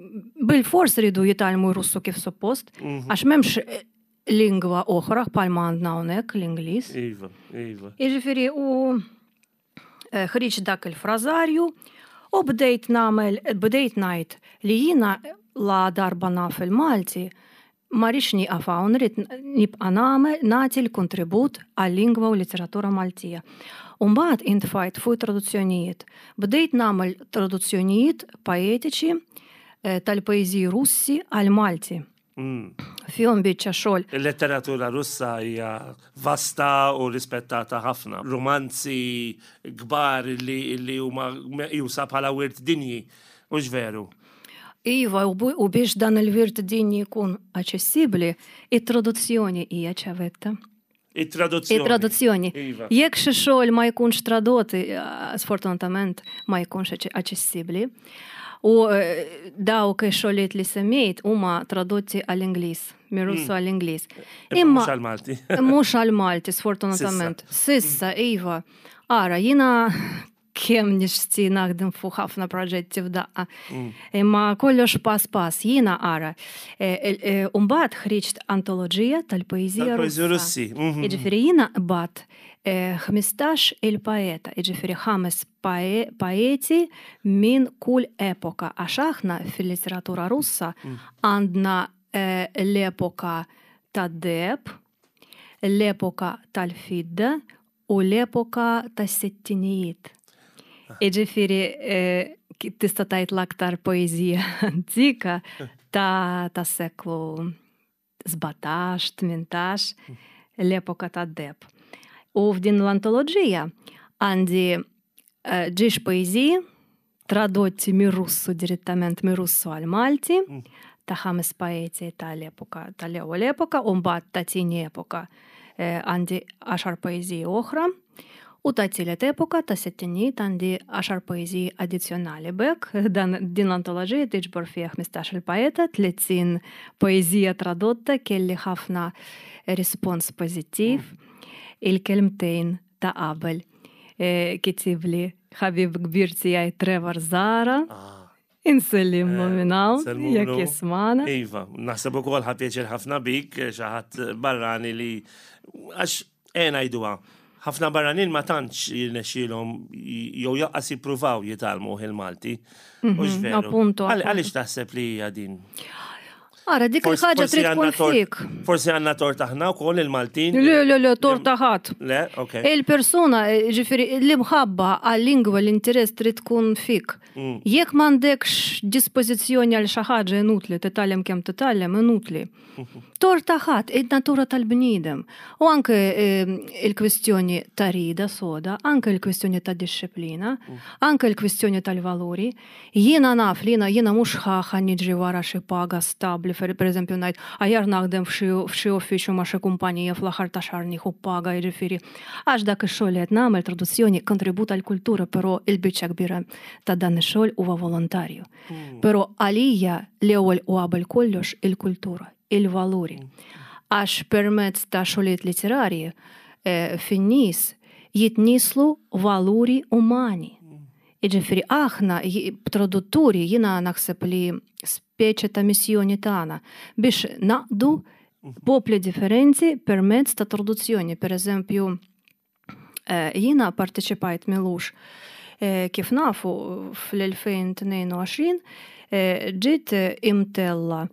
Bil-fors ridu jitgħallmu Russu kif suppost, mhm. għax m'hemmx eh, lingwa oħra bħalma għandna hawnhekk l-Ingliż. Iva, iva. Jiġifieri u eh, ħriġ dak il-frażarju u bdejt nagħmel bdejt ngħid li jiena la darba naf il-Malti ma rridx nieqaf hawn, rrid nibqa' nagħmel nagħti l-kontribut għal-lingwa u litteratura Maltija. U mbagħad intfajt fuq traduzzjonijiet. Bdejt nagħmel traduzzjonijiet poetiċi eh, tal-poeżiji Russi għal-Malti. Mm. Fihom biċċa xogħol. Il-letteratura Russa hija vasta u rispettata ħafna. Romanzi kbar li, li huma meqjusa bħala wirt dinji, hux veru? Iva, u biex dan il-wirt dinji jkun aċċessibbli, it-traduzzjoni hija ċavetta. It-traduzzjoni. It-traduzzjoni. Iva. Jekk xi xogħol ma jkunx tradott, eh, sfortunatament ma jkunx aċċessibbli. U eh, dawk ix-xogħlijiet li semmejt huma tradotti għall-Ingliż, mir-Russu mm. għall-Ingliż. Imma mhux għall-Malti. Mhux għall-Malti, sfortunatament. Sissa, iva. Ara, jiena kemm nixti naħdem fuq ħafna proġetti f'daqqa. Mm. Imma kollox pass pass, jiena ara. E, e, e, Umbagħad ħriġt antoloġija tal-poeżija Russi. Mhm. Jiġifieri jiena qbadt 15 il-poeta, jiġifieri ħames poeti minn kull epoka, għax aħna fil-litteratura Russa mm. għandna l-epoka tad-deheb, l-epoka tal-fidda u l-epoka tas-sittinijiet. Jiġifieri eh, tista' tgħid l-aktar poeżija antika ta' tas-seklu 17, 18, l-epoka tad-deheb. U f'din l-antoloġija għandi eh, ġiex poeżiji tradotti mir-Russu direttament mir-Russu għal-Malti mm. ta' ħames poeti tal-epoka tal-ewwel epoka u mbagħad ta' tieni epoka eh, għandi għaxar poeżiji oħra u ta' tielet epoka ta' sittinijiet għandi għaxar poeżiji addizzjonali. B'hekk dan din l-antoloġija tiġbor fiha 15 il-poeta, 30 poeżija tradotta kelli ħafna rispons pożittiv. Mm. Il-kelmtejn ta' qabel eh, kitibli ħabib kbir tiegħi Trevor Zara. Ah. Insellimlu eh, minn hawn, jekk jismana. Iva, naħseb ukoll ħa pjaċir ħafna bik eh, xi ħadd barrani li għax eh ngħiduha. Ħafna barranin ma tantx jirnexxielhom jew jaqqas jippruvaw jitgħallmu il-Malti. Mhm, appunto. Għaliex taħseb li hija din? Ara, dik il-ħaġa trid tkun fik. Forsi għandna tort aħna wkoll il-Maltin. Le, le, le, tort ħadd. Le, ok. Il-persuna, ġifieri, l-imħabba għal-lingwa l-interess trid tkun fik. Mm. Jekk m'għandekx dispożizzjoni għal xi ħaġa inutli titgħallem kemm titgħallem inutli. Tort ħadd, id-natura tal-bniedem. U anke ehm, il-kwistjoni ta' rida soda, anke il-kwistjoni ta' disċiplina, mm. anke il-kwistjoni tal-valuri. Jiena naf li jiena jiena mhux ħa ħa niġri wara xi paga stabbli per pereżempju ngħid aħjar naħdem f'xi f'xi uffiċċju ma' xi kumpanija fl-aħħar ta' xahar nieħu paga jiġifieri għax dak ix-xogħol li qed nagħmel traduzzjoni kontribut għall-kultura però il-biċċa kbira ta' dan ix-xogħol huwa volontarju. Però għalija l-ewwel u qabel kollox il-kultura, il-valuri. Għax permezz ta' xogħlijiet litterarji eh, fin-nies jitnieslu valuri umani. Jiġifieri aħna tradutturi jiena naħseb li speċi ta' missjoni tagħna biex naqdu popli differenti permezz ta' traduzzjoni. Per eżempju, eh, jiena parteċipajt milux eh, kif nafu fl-2022 eh, ġiet imtella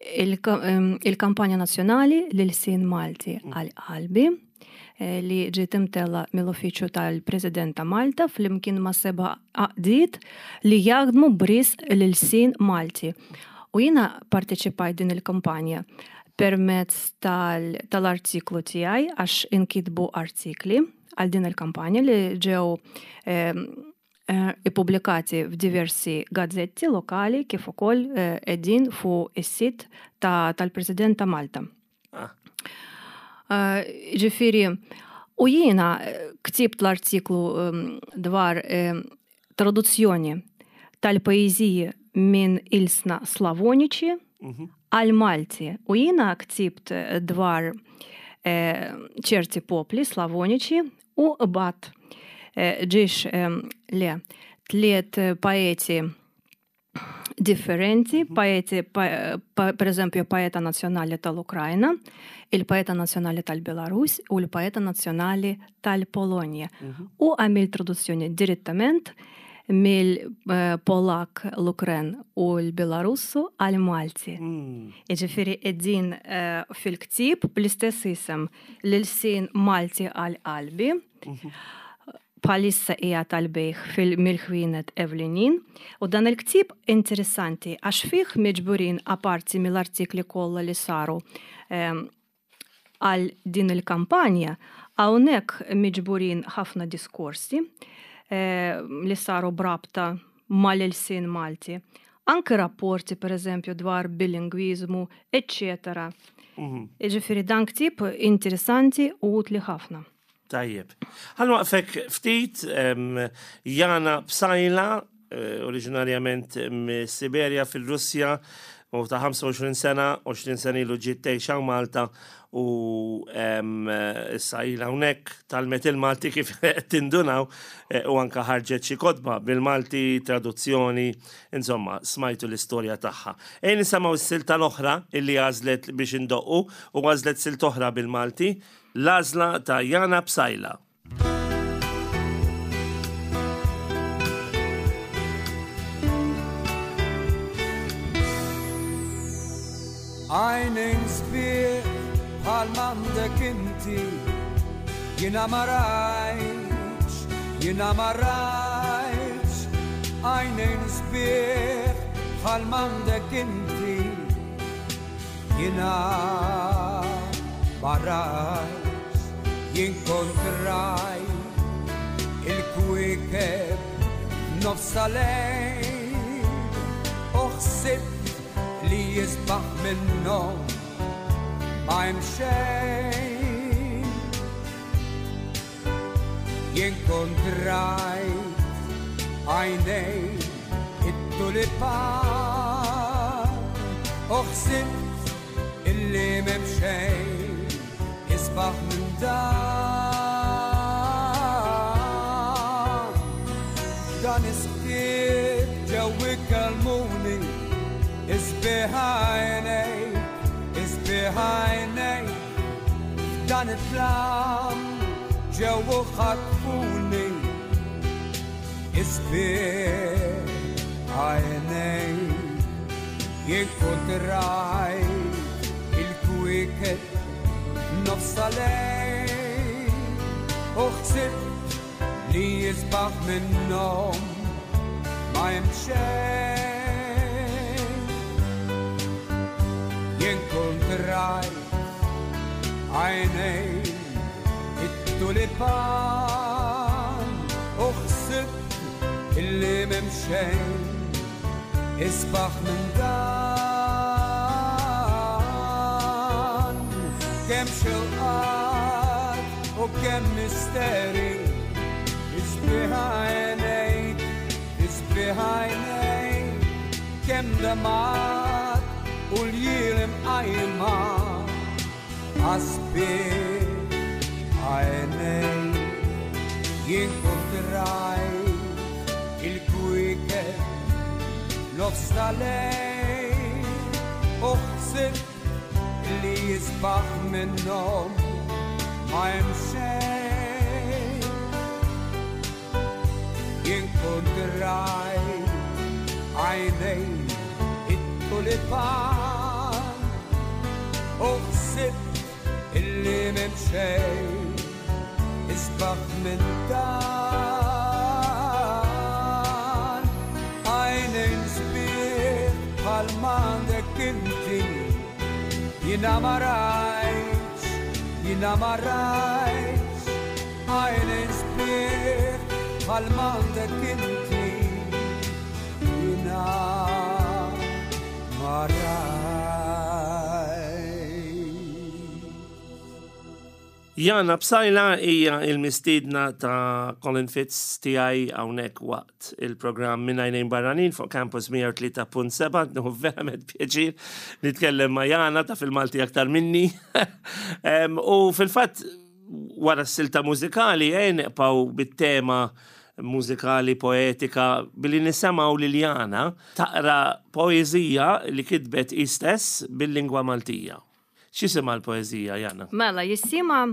il-kampanja nazzjonali l-ilsien Malti mm. għal qalbi eh, li ġiet imtella mill-Uffiċċju tal-President ta' Malta flimkien ma' seba' għaqdiet li jaħdmu bris l-ilsien Malti. U jiena parteċipajt din il-kampanja permezz tal-artiklu tiegħi għax inkitbu artikli għal din il-kampanja li ġew eh, ippubblikati f'diversi gazzetti lokali kif ukoll qegħdin fuq is-sit tal-President ta' Malta. Ah. Ġifieri, u jiena ktibt l-artiklu dwar traduzzjoni tal-poeżiji minn ilsna Slavoniċi mhm. għal Malti. U jiena ktibt dwar ċerti popli Slavoniċi u bat ġiex le tliet poeti differenti, poeti, per eżempju, poeta nazzjonali tal-Ukrajna, il-poeta nazzjonali tal-Belarus u l-poeta nazzjonali tal-Polonja. Mhm. U għamil traduzzjoni direttament mill-Polak, l-Ukren u l-Belarussu għal-Malti. Mm. Iġifiri, id-din eh, fil-ktib bl-istess isem l-sin Malti għal-qalbi. Mhm. Bħalissa qiegħed għall-bejgħ fil-mill-ħwienet ewlenin u dan il-ktieb interessanti għax fih miġburin aparti mill-artikli kollha li saru għal din il-kampanja, hawnhekk miġburin ħafna diskorsi li saru b'rabta mal-ilsien Malti. Anke rapporti pereżempju dwar bilingwiżmu, eċċetera. Jiġifieri dan ktieb interessanti u utli ħafna. Tajjeb. Ħa nwaqfek ftit, Jana Psajla, eh, oriġinarjament mis-Siberja fil-Russja, u ta' 25 sena, 20 sena ilu ġiet tgħix hawn Malta u issa ilha hawnhekk talmet il-Malti kif tindunaw eh, u anka ħarġet xi kotba bil-Malti, traduzzjoni, insomma, smajtu l-istorja tagħha. Ejn nisimgħu s-silta l-oħra illi għażlet biex indoqqu u għażlet silt oħra bil-Malti L-għażla ta' Jana Psaila. Għajnejn sbieħ bħal m'għandek inti, jiena ma rajtx, jiena ma rajtx. Għajnejn sbieħ bħal m'għandek inti, Jiena ma rajtx, jien kont rajt il-kwiekeb nofs lejl u ħsibt li jisbaħ minnhom ma hemm xejn. Jien kont rajt għajnejn it-tulipan u ħsibt illi m'hemm xejn isbaħ minn dan. Dan is-skiet ġew ikellmuni isbieħ għajnejk, isbieħ għajnejk. F'dan it-tlam ġew u ħatfuni isbieħ għajnejk. Jien kont rajt il-kwieket nofs lejl u ħsibt li jisbaħ minnhom ma hemm xejn. Jien kont rajt għajnejn it-tulipan u ħsibt illi m'hemm xejn isbaħ minn dan. Kemm xewqat u kemm misteri isbieħ għajnejk, isbieħ għajnejk, kemm demgħat u ljiel imqajma għas-sbieħ għajnejk. Jien kont rajt il-kwiekeb nofs ta' lejl u ħsibt li jisbaħ minnhom ma hemm xejn. Jien kont rajt għajnejn it-tulipan u ħsibt illi m'hemm xejn isbaħ minn dan. Għajnejn sbieħ bħal m'għandek inti, jiena ma rajtx, jiena ma rajtx. Għajnejn sbieħ. bħal m'għandek inti jiena ma rajt. Jana Psaila hija il-mistiedna ta' Colin Fitz tiegħi hawnhekk waqt il-programm Minn Għajnejn Barranin fuq Campus 103.7. Nieħu verament pjaċir nitkellem ma' Jana ta' fil-Malti aktar minni. U fil-fatt wara s-silta mużikali eh, neqpaw bit-tema mużikali poetika billi nisemgħu lil Jana taqra poeżija li kitbet hi stess bil-lingwa Maltija. X'jisimha l-poeżija, Jana? Mela, jisimha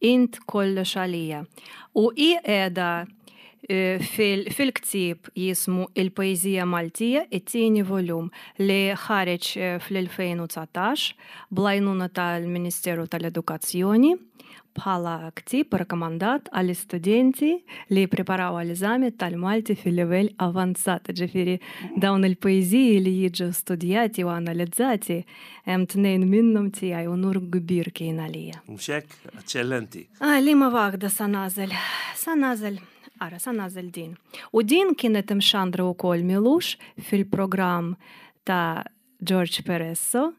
Int kollox għalija. U hi qiegħda eh, fil-ktieb jismu Il-Poeżija Maltija, it-tieni volum li ħareġ eh, fl-2019 bl-għajnuna tal-Ministeru tal-Edukazzjoni bħala ktieb rakkomandat għall-istudenti li jippreparaw għall-eżami tal-Malti fil-livell avanzat. Ġifieri dawn il-poeżiji li jiġu studjati u analizzati hemm tnejn minnhom tiegħi unur kbir kien għalija. Mhux hekk? Eċċellenti. Ah, liema waħda sa nagħżel? Sa nagħżel, ara, sa nagħżel din. U din kienet imxandra wkoll m'ilux fil-programm ta' George Peresso,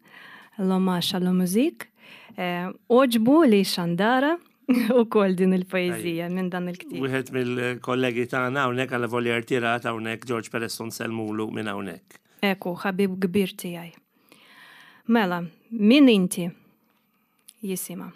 L'hommage à la musique, eh, oġbu li xandara u kol din il-poezija minn dan il-ktib. Wieħed mill-kollegi tagħna hawnhekk għal volja rtirat hawnhekk George Peresso nsellmulu minn hawnhekk. Eku, ħabib kbir tiegħi. Mela, min inti? Jisima.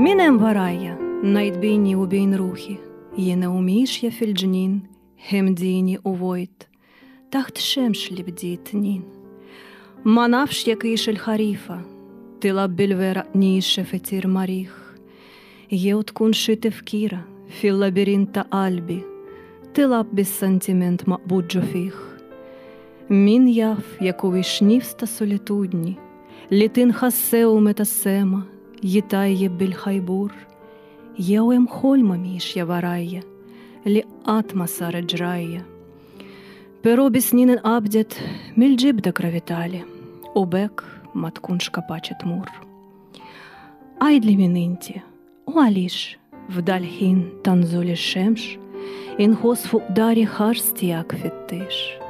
Min hemm warajja, ngħid bejni u bejn ruħi, jiena u miexja fil-ġnien, ħemdini u vojt. Taħt xemx li bdiet tnin. Ma nafx jekk hix il-ħarifa, tilgħab bil-weraq niexef itir ma' riħ. Jew tkun xi tifkira fil-labirint ta' qalbi, tilgħab bis-sentiment maqbud ġo fih. Min jaf jekk huwiex nifs ta' solitudni li tinħass sew meta s-sema jitajjeb bil-ħajbur. Jew hemm ħolma miexja warajja li qatt ma saret ġrajja. Però bi snin inqabdet mill-ġibda gravitali u b'hekk ma tkunx kapaċi tmur. Għidli min inti u għaliex f'dal-ħin ta' nżul ix-xemx inħoss fuq dari ħars tiegħek fittix.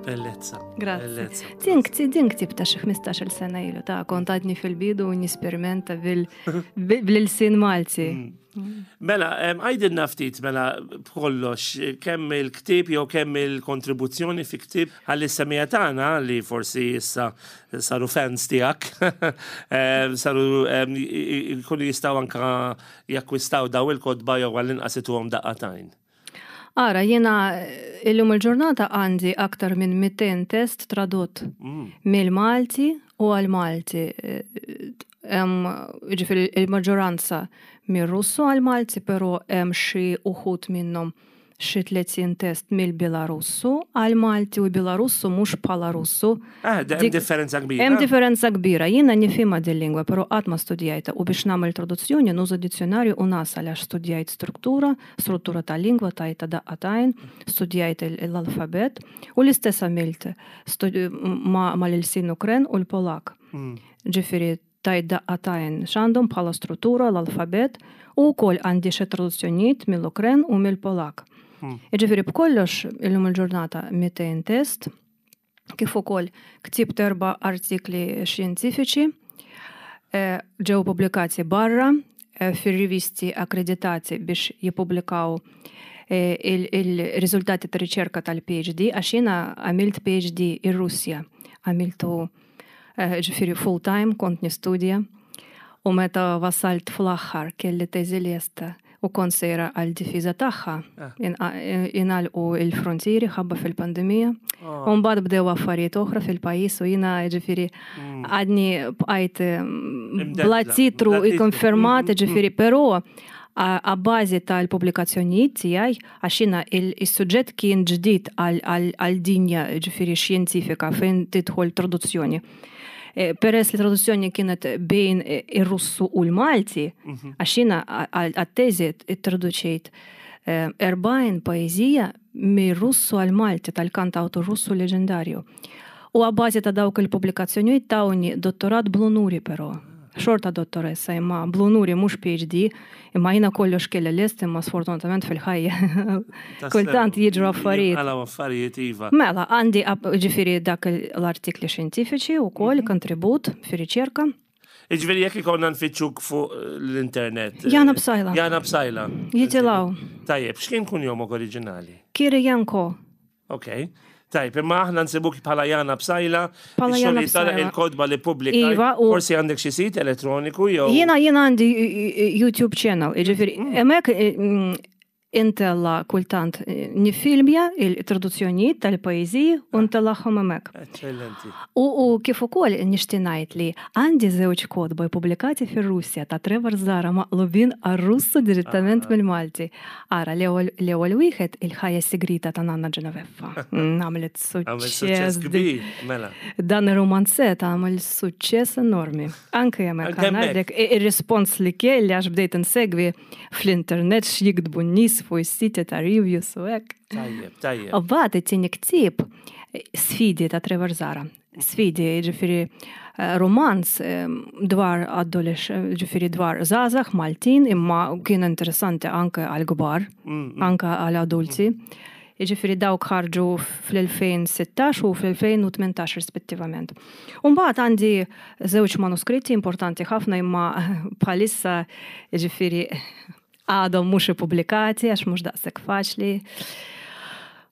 Bellezza. Grazie. Din din ktib ta' xi 15-il sena ilu ta' kont għadni fil-bidu u nisperimenta bil-sin Malti. Mm. Mela, għajdilna ftit mela b'kollox kemm il-ktieb jew kemm il-kontribuzzjoni fi ktieb ħalli s-semija tagħna li forsi issa saru fans tiegħek saru jkunu jistgħu anka jakkwistaw daw il-kotba jew għall-inqas ituhom daqqa t'għajn. Ara, jiena illum il-ġurnata għandi aktar minn 200 test tradott mm. mill-Malti u għal-Malti. Ġifieri il-maġġoranza mir-Russu għal-Malti, però hemm xi uħud minnhom xi 30 test mill-Belarussu għal-Malti u Belarussu mhux bħala Russu. Ah, hemm differenza kbira. Hemm differenza kbira. Jiena nifhimha din lingwa, però qatt ma studjajtha u biex nagħmel traduzzjoni nuża dizzjonarju u nasal għax studjajt struttura, struttura ta' lingwa tajtha daqqa t'għajn, studjajt l-alfabet u l-istess għamilt mal-ilsien Ukren u l-Polak. Mm. Ġifieri tajt daqqa t'għajn x'għandhom bħala struttura l-alfabet u wkoll għandi xi traduzzjonijiet mill-Ukren u mill-Polak. Mm. Ġifieri b'kollox illum il-ġurnata 200 test kif ukoll ktibt erba' artikli xjentifiċi eh, ġew pubblikati barra eh, fir-rivisti akkreditati biex jippubblikaw eh, il-riżultati ta' riċerka tal-PhD għax jiena għamilt PhD ir-Russja, għamiltu ġifieri full time kont nistudja u meta wasalt fl-aħħar kelli teżi lesta. U kont sejra għal difiża tagħha. Ah. Ingħalqu il-frontieri ħabba fil-pandemija. Ah. U mbagħad bdew affarijiet oħra fil-pajjiż u jiena ġifieri mm. għadni bqajt mm, bla titru ikkonfermat mm, ġifieri però a bażi tal-pubblikazzjonijiet tiegħi għax jiena il-suġġett kien ġdid għal dinja ġifieri xjentifika fejn tidħol traduzzjoni. Eh, peress li traduzzjoni kienet bejn eh, ir-Russu u l-Malti, mhm. għax jiena għat-teżi traduċejt 40 eh, poeżija mir-Russu għal-Malti tal-kantawtur Russu leġendarju. U għabbażi ta' dawk il-pubblikazzjonijiet tawni dottorat bl-unuri però. Xorta dottoressa imma bl-unuri mhux PhD, imma jiena kollox kelli lest imma sfortunatament fil-ħajja. Kultant jiġru affarijiet. Għalaw affarijiet iva. Mela, għandi ġifieri dak l-artikli xjentifiċi wkoll mhm. kontribut fir-riċerka. Iġveri jekk ikonna nfittxuk fuq l-internet. Jana Bsajla. Jana Bsajla. Jitilaw. Tajjeb, x'kien kun jomok oriġinali? Kirijanko. Ok. Tajb, imma aħna nsibuk bħala Jana Psaila, Bħala Jana Psaila. Il-kodba li pubblika. Iva, u forsi għandek xi sit elettroniku jew. Jiena jiena għandi YouTube channel, jiġifieri mm. hemmhekk eh, mm, intella kultant eh, nifilmja il-traduzzjonijiet tal-pajjiżi u ntellagħhom hemmhekk. Eċċellenti. U, u kif ukoll nixtieq ngħid li għandi żewġ kotba pubblikati fir-Russja ta' Trevor Zara maqlubin għar-Russu direttament ah. mill-Malti. Ara, l-ewwel wieħed il-ħajja sigrita ta' Nanna Ġenoveffa. Mm, għamlet suċċess kbir, mela. Dan ir-romanzet għamel suċċess enormi. Anke hemmhekk ngħidlek ir-rispons li kelli għax bdejt insegwi fl-internet x'jiktbu n-nies fuq is-siti ta' reviews u hekk. Tajjeb, tajjeb. U mbagħad it-tieni ktieb sfidi ta' Trevor Zara. Sfidi, ġifiri eh, romanz eh, dwar adolesx, ġifiri dwar zazax Maltin, imma kien interessanti anke għal kbar, mm, mm. anke għal adulti. Ġifiri dawk ħarġu fl-2016 u fl-2018 rispettivament. Umbagħad għandi żewġ manuskritti importanti ħafna imma bħalissa ġifiri għadhom mhux ippubblikati għax mhux daqshekk faċli.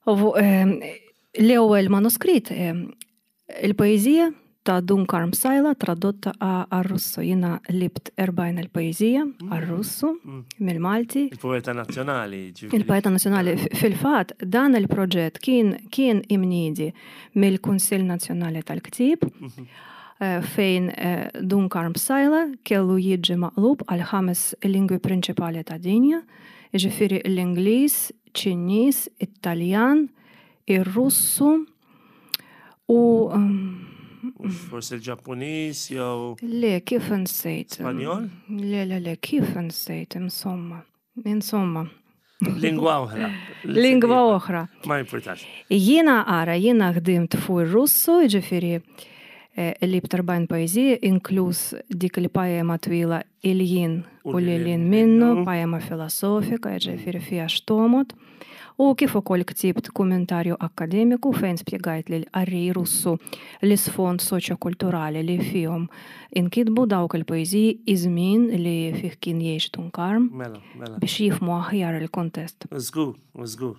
Eh, L-ewwel manuskritt il-poeżija ta' Dun Karm Sajla tradotta għar-Russu. Jiena libt 40 il-poeżija mm. għar-Russu mm. mill-Malti. Il-poeta nazzjonali. Il-poeta nazzjonali. Fil-fatt dan il-proġett kien kien imniedi mill-Kunsill Nazzjonali tal-Ktieb mhm. eh, fejn eh, Dun Karm Sajla kellu jiġi maqlub għal ħames lingwi prinċipali ta' dinja, jiġifieri l-Ingliż, Ċiniż, It-Taljan, ir-Russu u Forsi l-Ġappuniż jew. Le, kif insejt? Spanjol? Le, le, le, kif insejt, insomma. Insomma. Lingwa oħra. Lingwa oħra. Ma importax. Jiena ara, jiena ħdimt fuq ir-Russu, ġifieri eh, li b'tarbajn pajjiżi, inkluż dik il-pajema twila Iljin u lilin minnu, pajema filosofika, ġifieri fiha x'tomod. U kif ukoll ktibt kummentarju akkademiku fejn spjegajt lill-qarrej Russu l-isfond soċjokulturali li fihom inkitbu dawk il-poeżiji, iż-żmien li fih kien jgħix Dun Karm, Mela, mela. biex jifhmu aħjar il-kuntest. Żgur, żgur.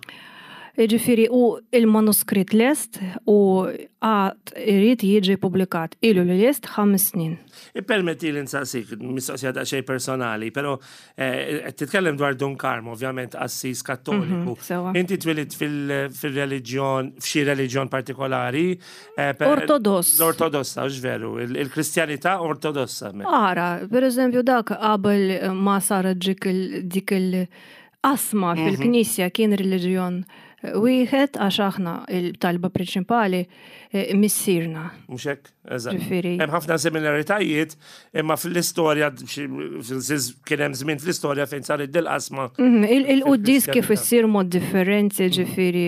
Jiġifieri u il-manuskritt lest u għad irid jiġi pubblikat. Ilu li lest ħames snin. Ippermettili nsaqsik, mistoqsija daqsxejn personali, però eh, qed titkellem dwar Dun Karm, ovvjament qassis kattoliku. Mhm, Inti twilidt fil-reliġjon, f'xi reliġjon partikolari? Eh, ortodoss. L-ortodossa, hux veru, il-Kristjanità ortodossa. Ara, per eżempju, dak qabel ma saret dik il- Qasma mhm. fil-Knisja kien reliġjon wieħed għax aħna il-talba prinċipali eh, missierna. Mhux hekk? Eżatt. Hemm ħafna similaritajiet imma fl-istorja kien hemm żmien fl-istorja fejn saret dil-qasma. Mhm, il-quddis kif issir mod differenti mhm. ġifieri.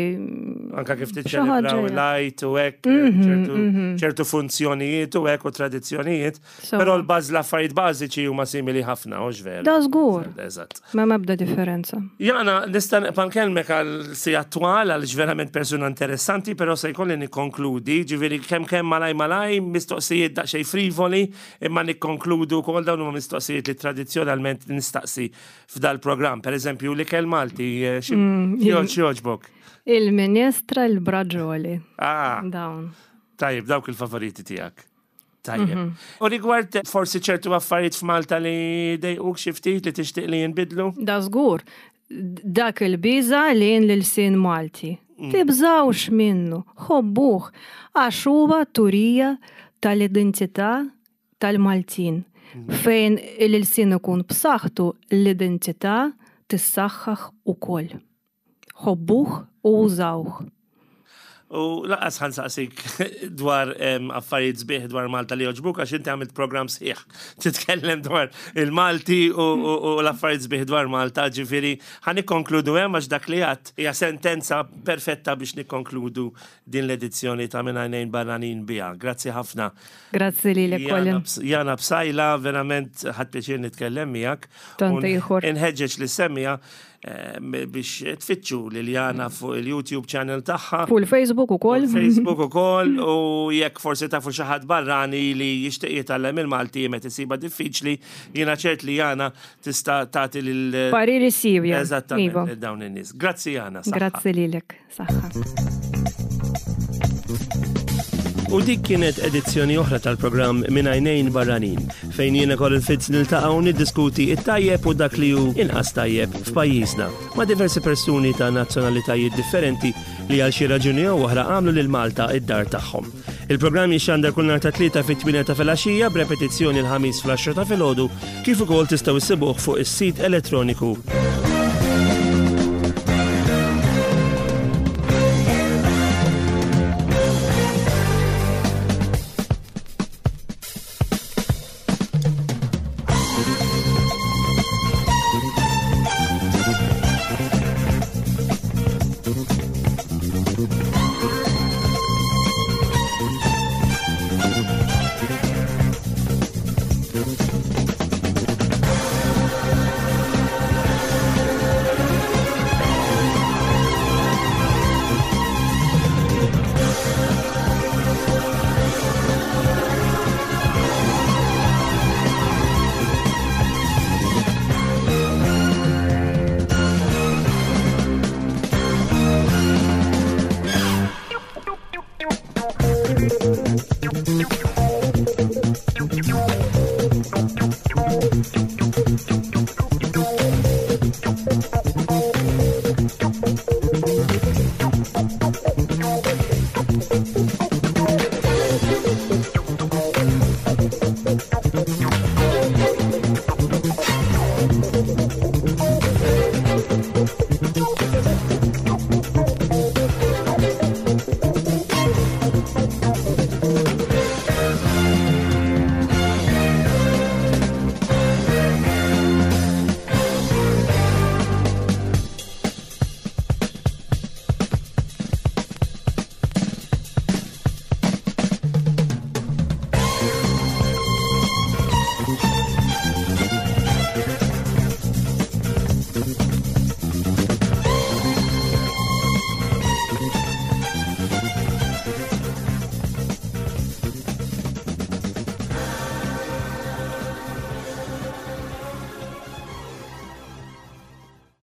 Anka kif tiċċelebraw il-għajt u hekk mhm, ċertu funzjonijiet u hekk u tradizzjonijiet. Però l-baż l-affarijiet bażiċi huma simili ħafna, hux veru? Da żgur. Eżatt. Ma mebda differenza. Jana, nista' nibqa' nkellmek għal si attwal għaliex verament persuna interessanti, però se jkolli nikkonkludi, ġifieri kemm kemm malaj malaj, mistoqsijiet daqsxejn frivoli, imma nikkonkludu wkoll dawn huma mistoqsijiet li tradizzjonalment nistaqsi f'dal-programm. Per eżempju, l-ikel Malti, eh, xi mm, jogħġbok? Il-minestra, il-braġoli. Ah. Dawn. Tajjeb, dawk il-favoriti tiegħek. Tajjeb. Mhm. U rigward forsi ċertu affarijiet f'Malta li dejquk xi ftit li tixtieq li jinbidlu? Da żgur. Dak il-biża lejn l-ilsien Malti. Mm. Tibżawx minnu, ħobbuh, għax huwa turija tal-identità tal-Maltin. Mm. Fejn l-ilsien ikun b'saħħtu l-identità tissaħħaħ ukoll. Ħobbuh u użawh. U laqas ħan saqsik dwar affarijiet sbieħ dwar Malta li joġbuk għax inti għamilt program sħiħ titkellem dwar il-Malti u l-affarijiet sbieħ dwar Malta, ġifieri ħan nikkonkludu hemm għax dak li għadd hija sentenza perfetta biex nikkonkludu din l-edizzjoni ta' minn għajnejn barranin biha. Grazzi ħafna. Grazzi lilek Colin. Jana Bsajla, verament ħadd pjaċir nitkellem miegħek. Tant ieħor. Inħeġġeġ li semmija Eh, biex tfittxu Liliana fuq il-YouTube channel tagħha. Fuq il-Facebook ukoll. Facebook ukoll u jekk forsi tafu xi ħadd barrani li jixtieq jitgħallem il-Malti meta isiba diffiċli, jiena ċert li Jana tista' tagħti lil Pariri sivja. Eżattament iva. dawn in-nies. Grazzi Jana. Grazzi lilek. Saħħa. U dik kienet edizzjoni oħra tal-programm Minn Għajnejn Barranin, fejn jiena Colin Fitz niltaqa' u niddiskuti it-tajjeb u dak li hu inqas tajjeb f'pajjiżna ma' diversi persuni ta' nazzjonalitajiet differenti li għal xi raġuni jew oħra għamlu lil Malta id-dar tagħhom. Il-programm jixxandar kull nhar ta' tlieta fit-8 ta' filgħaxija b'repetizzjoni l-ħamis fl-10 ta' filgħodu kif ukoll tistgħu issibuh fuq is-sit elettroniku.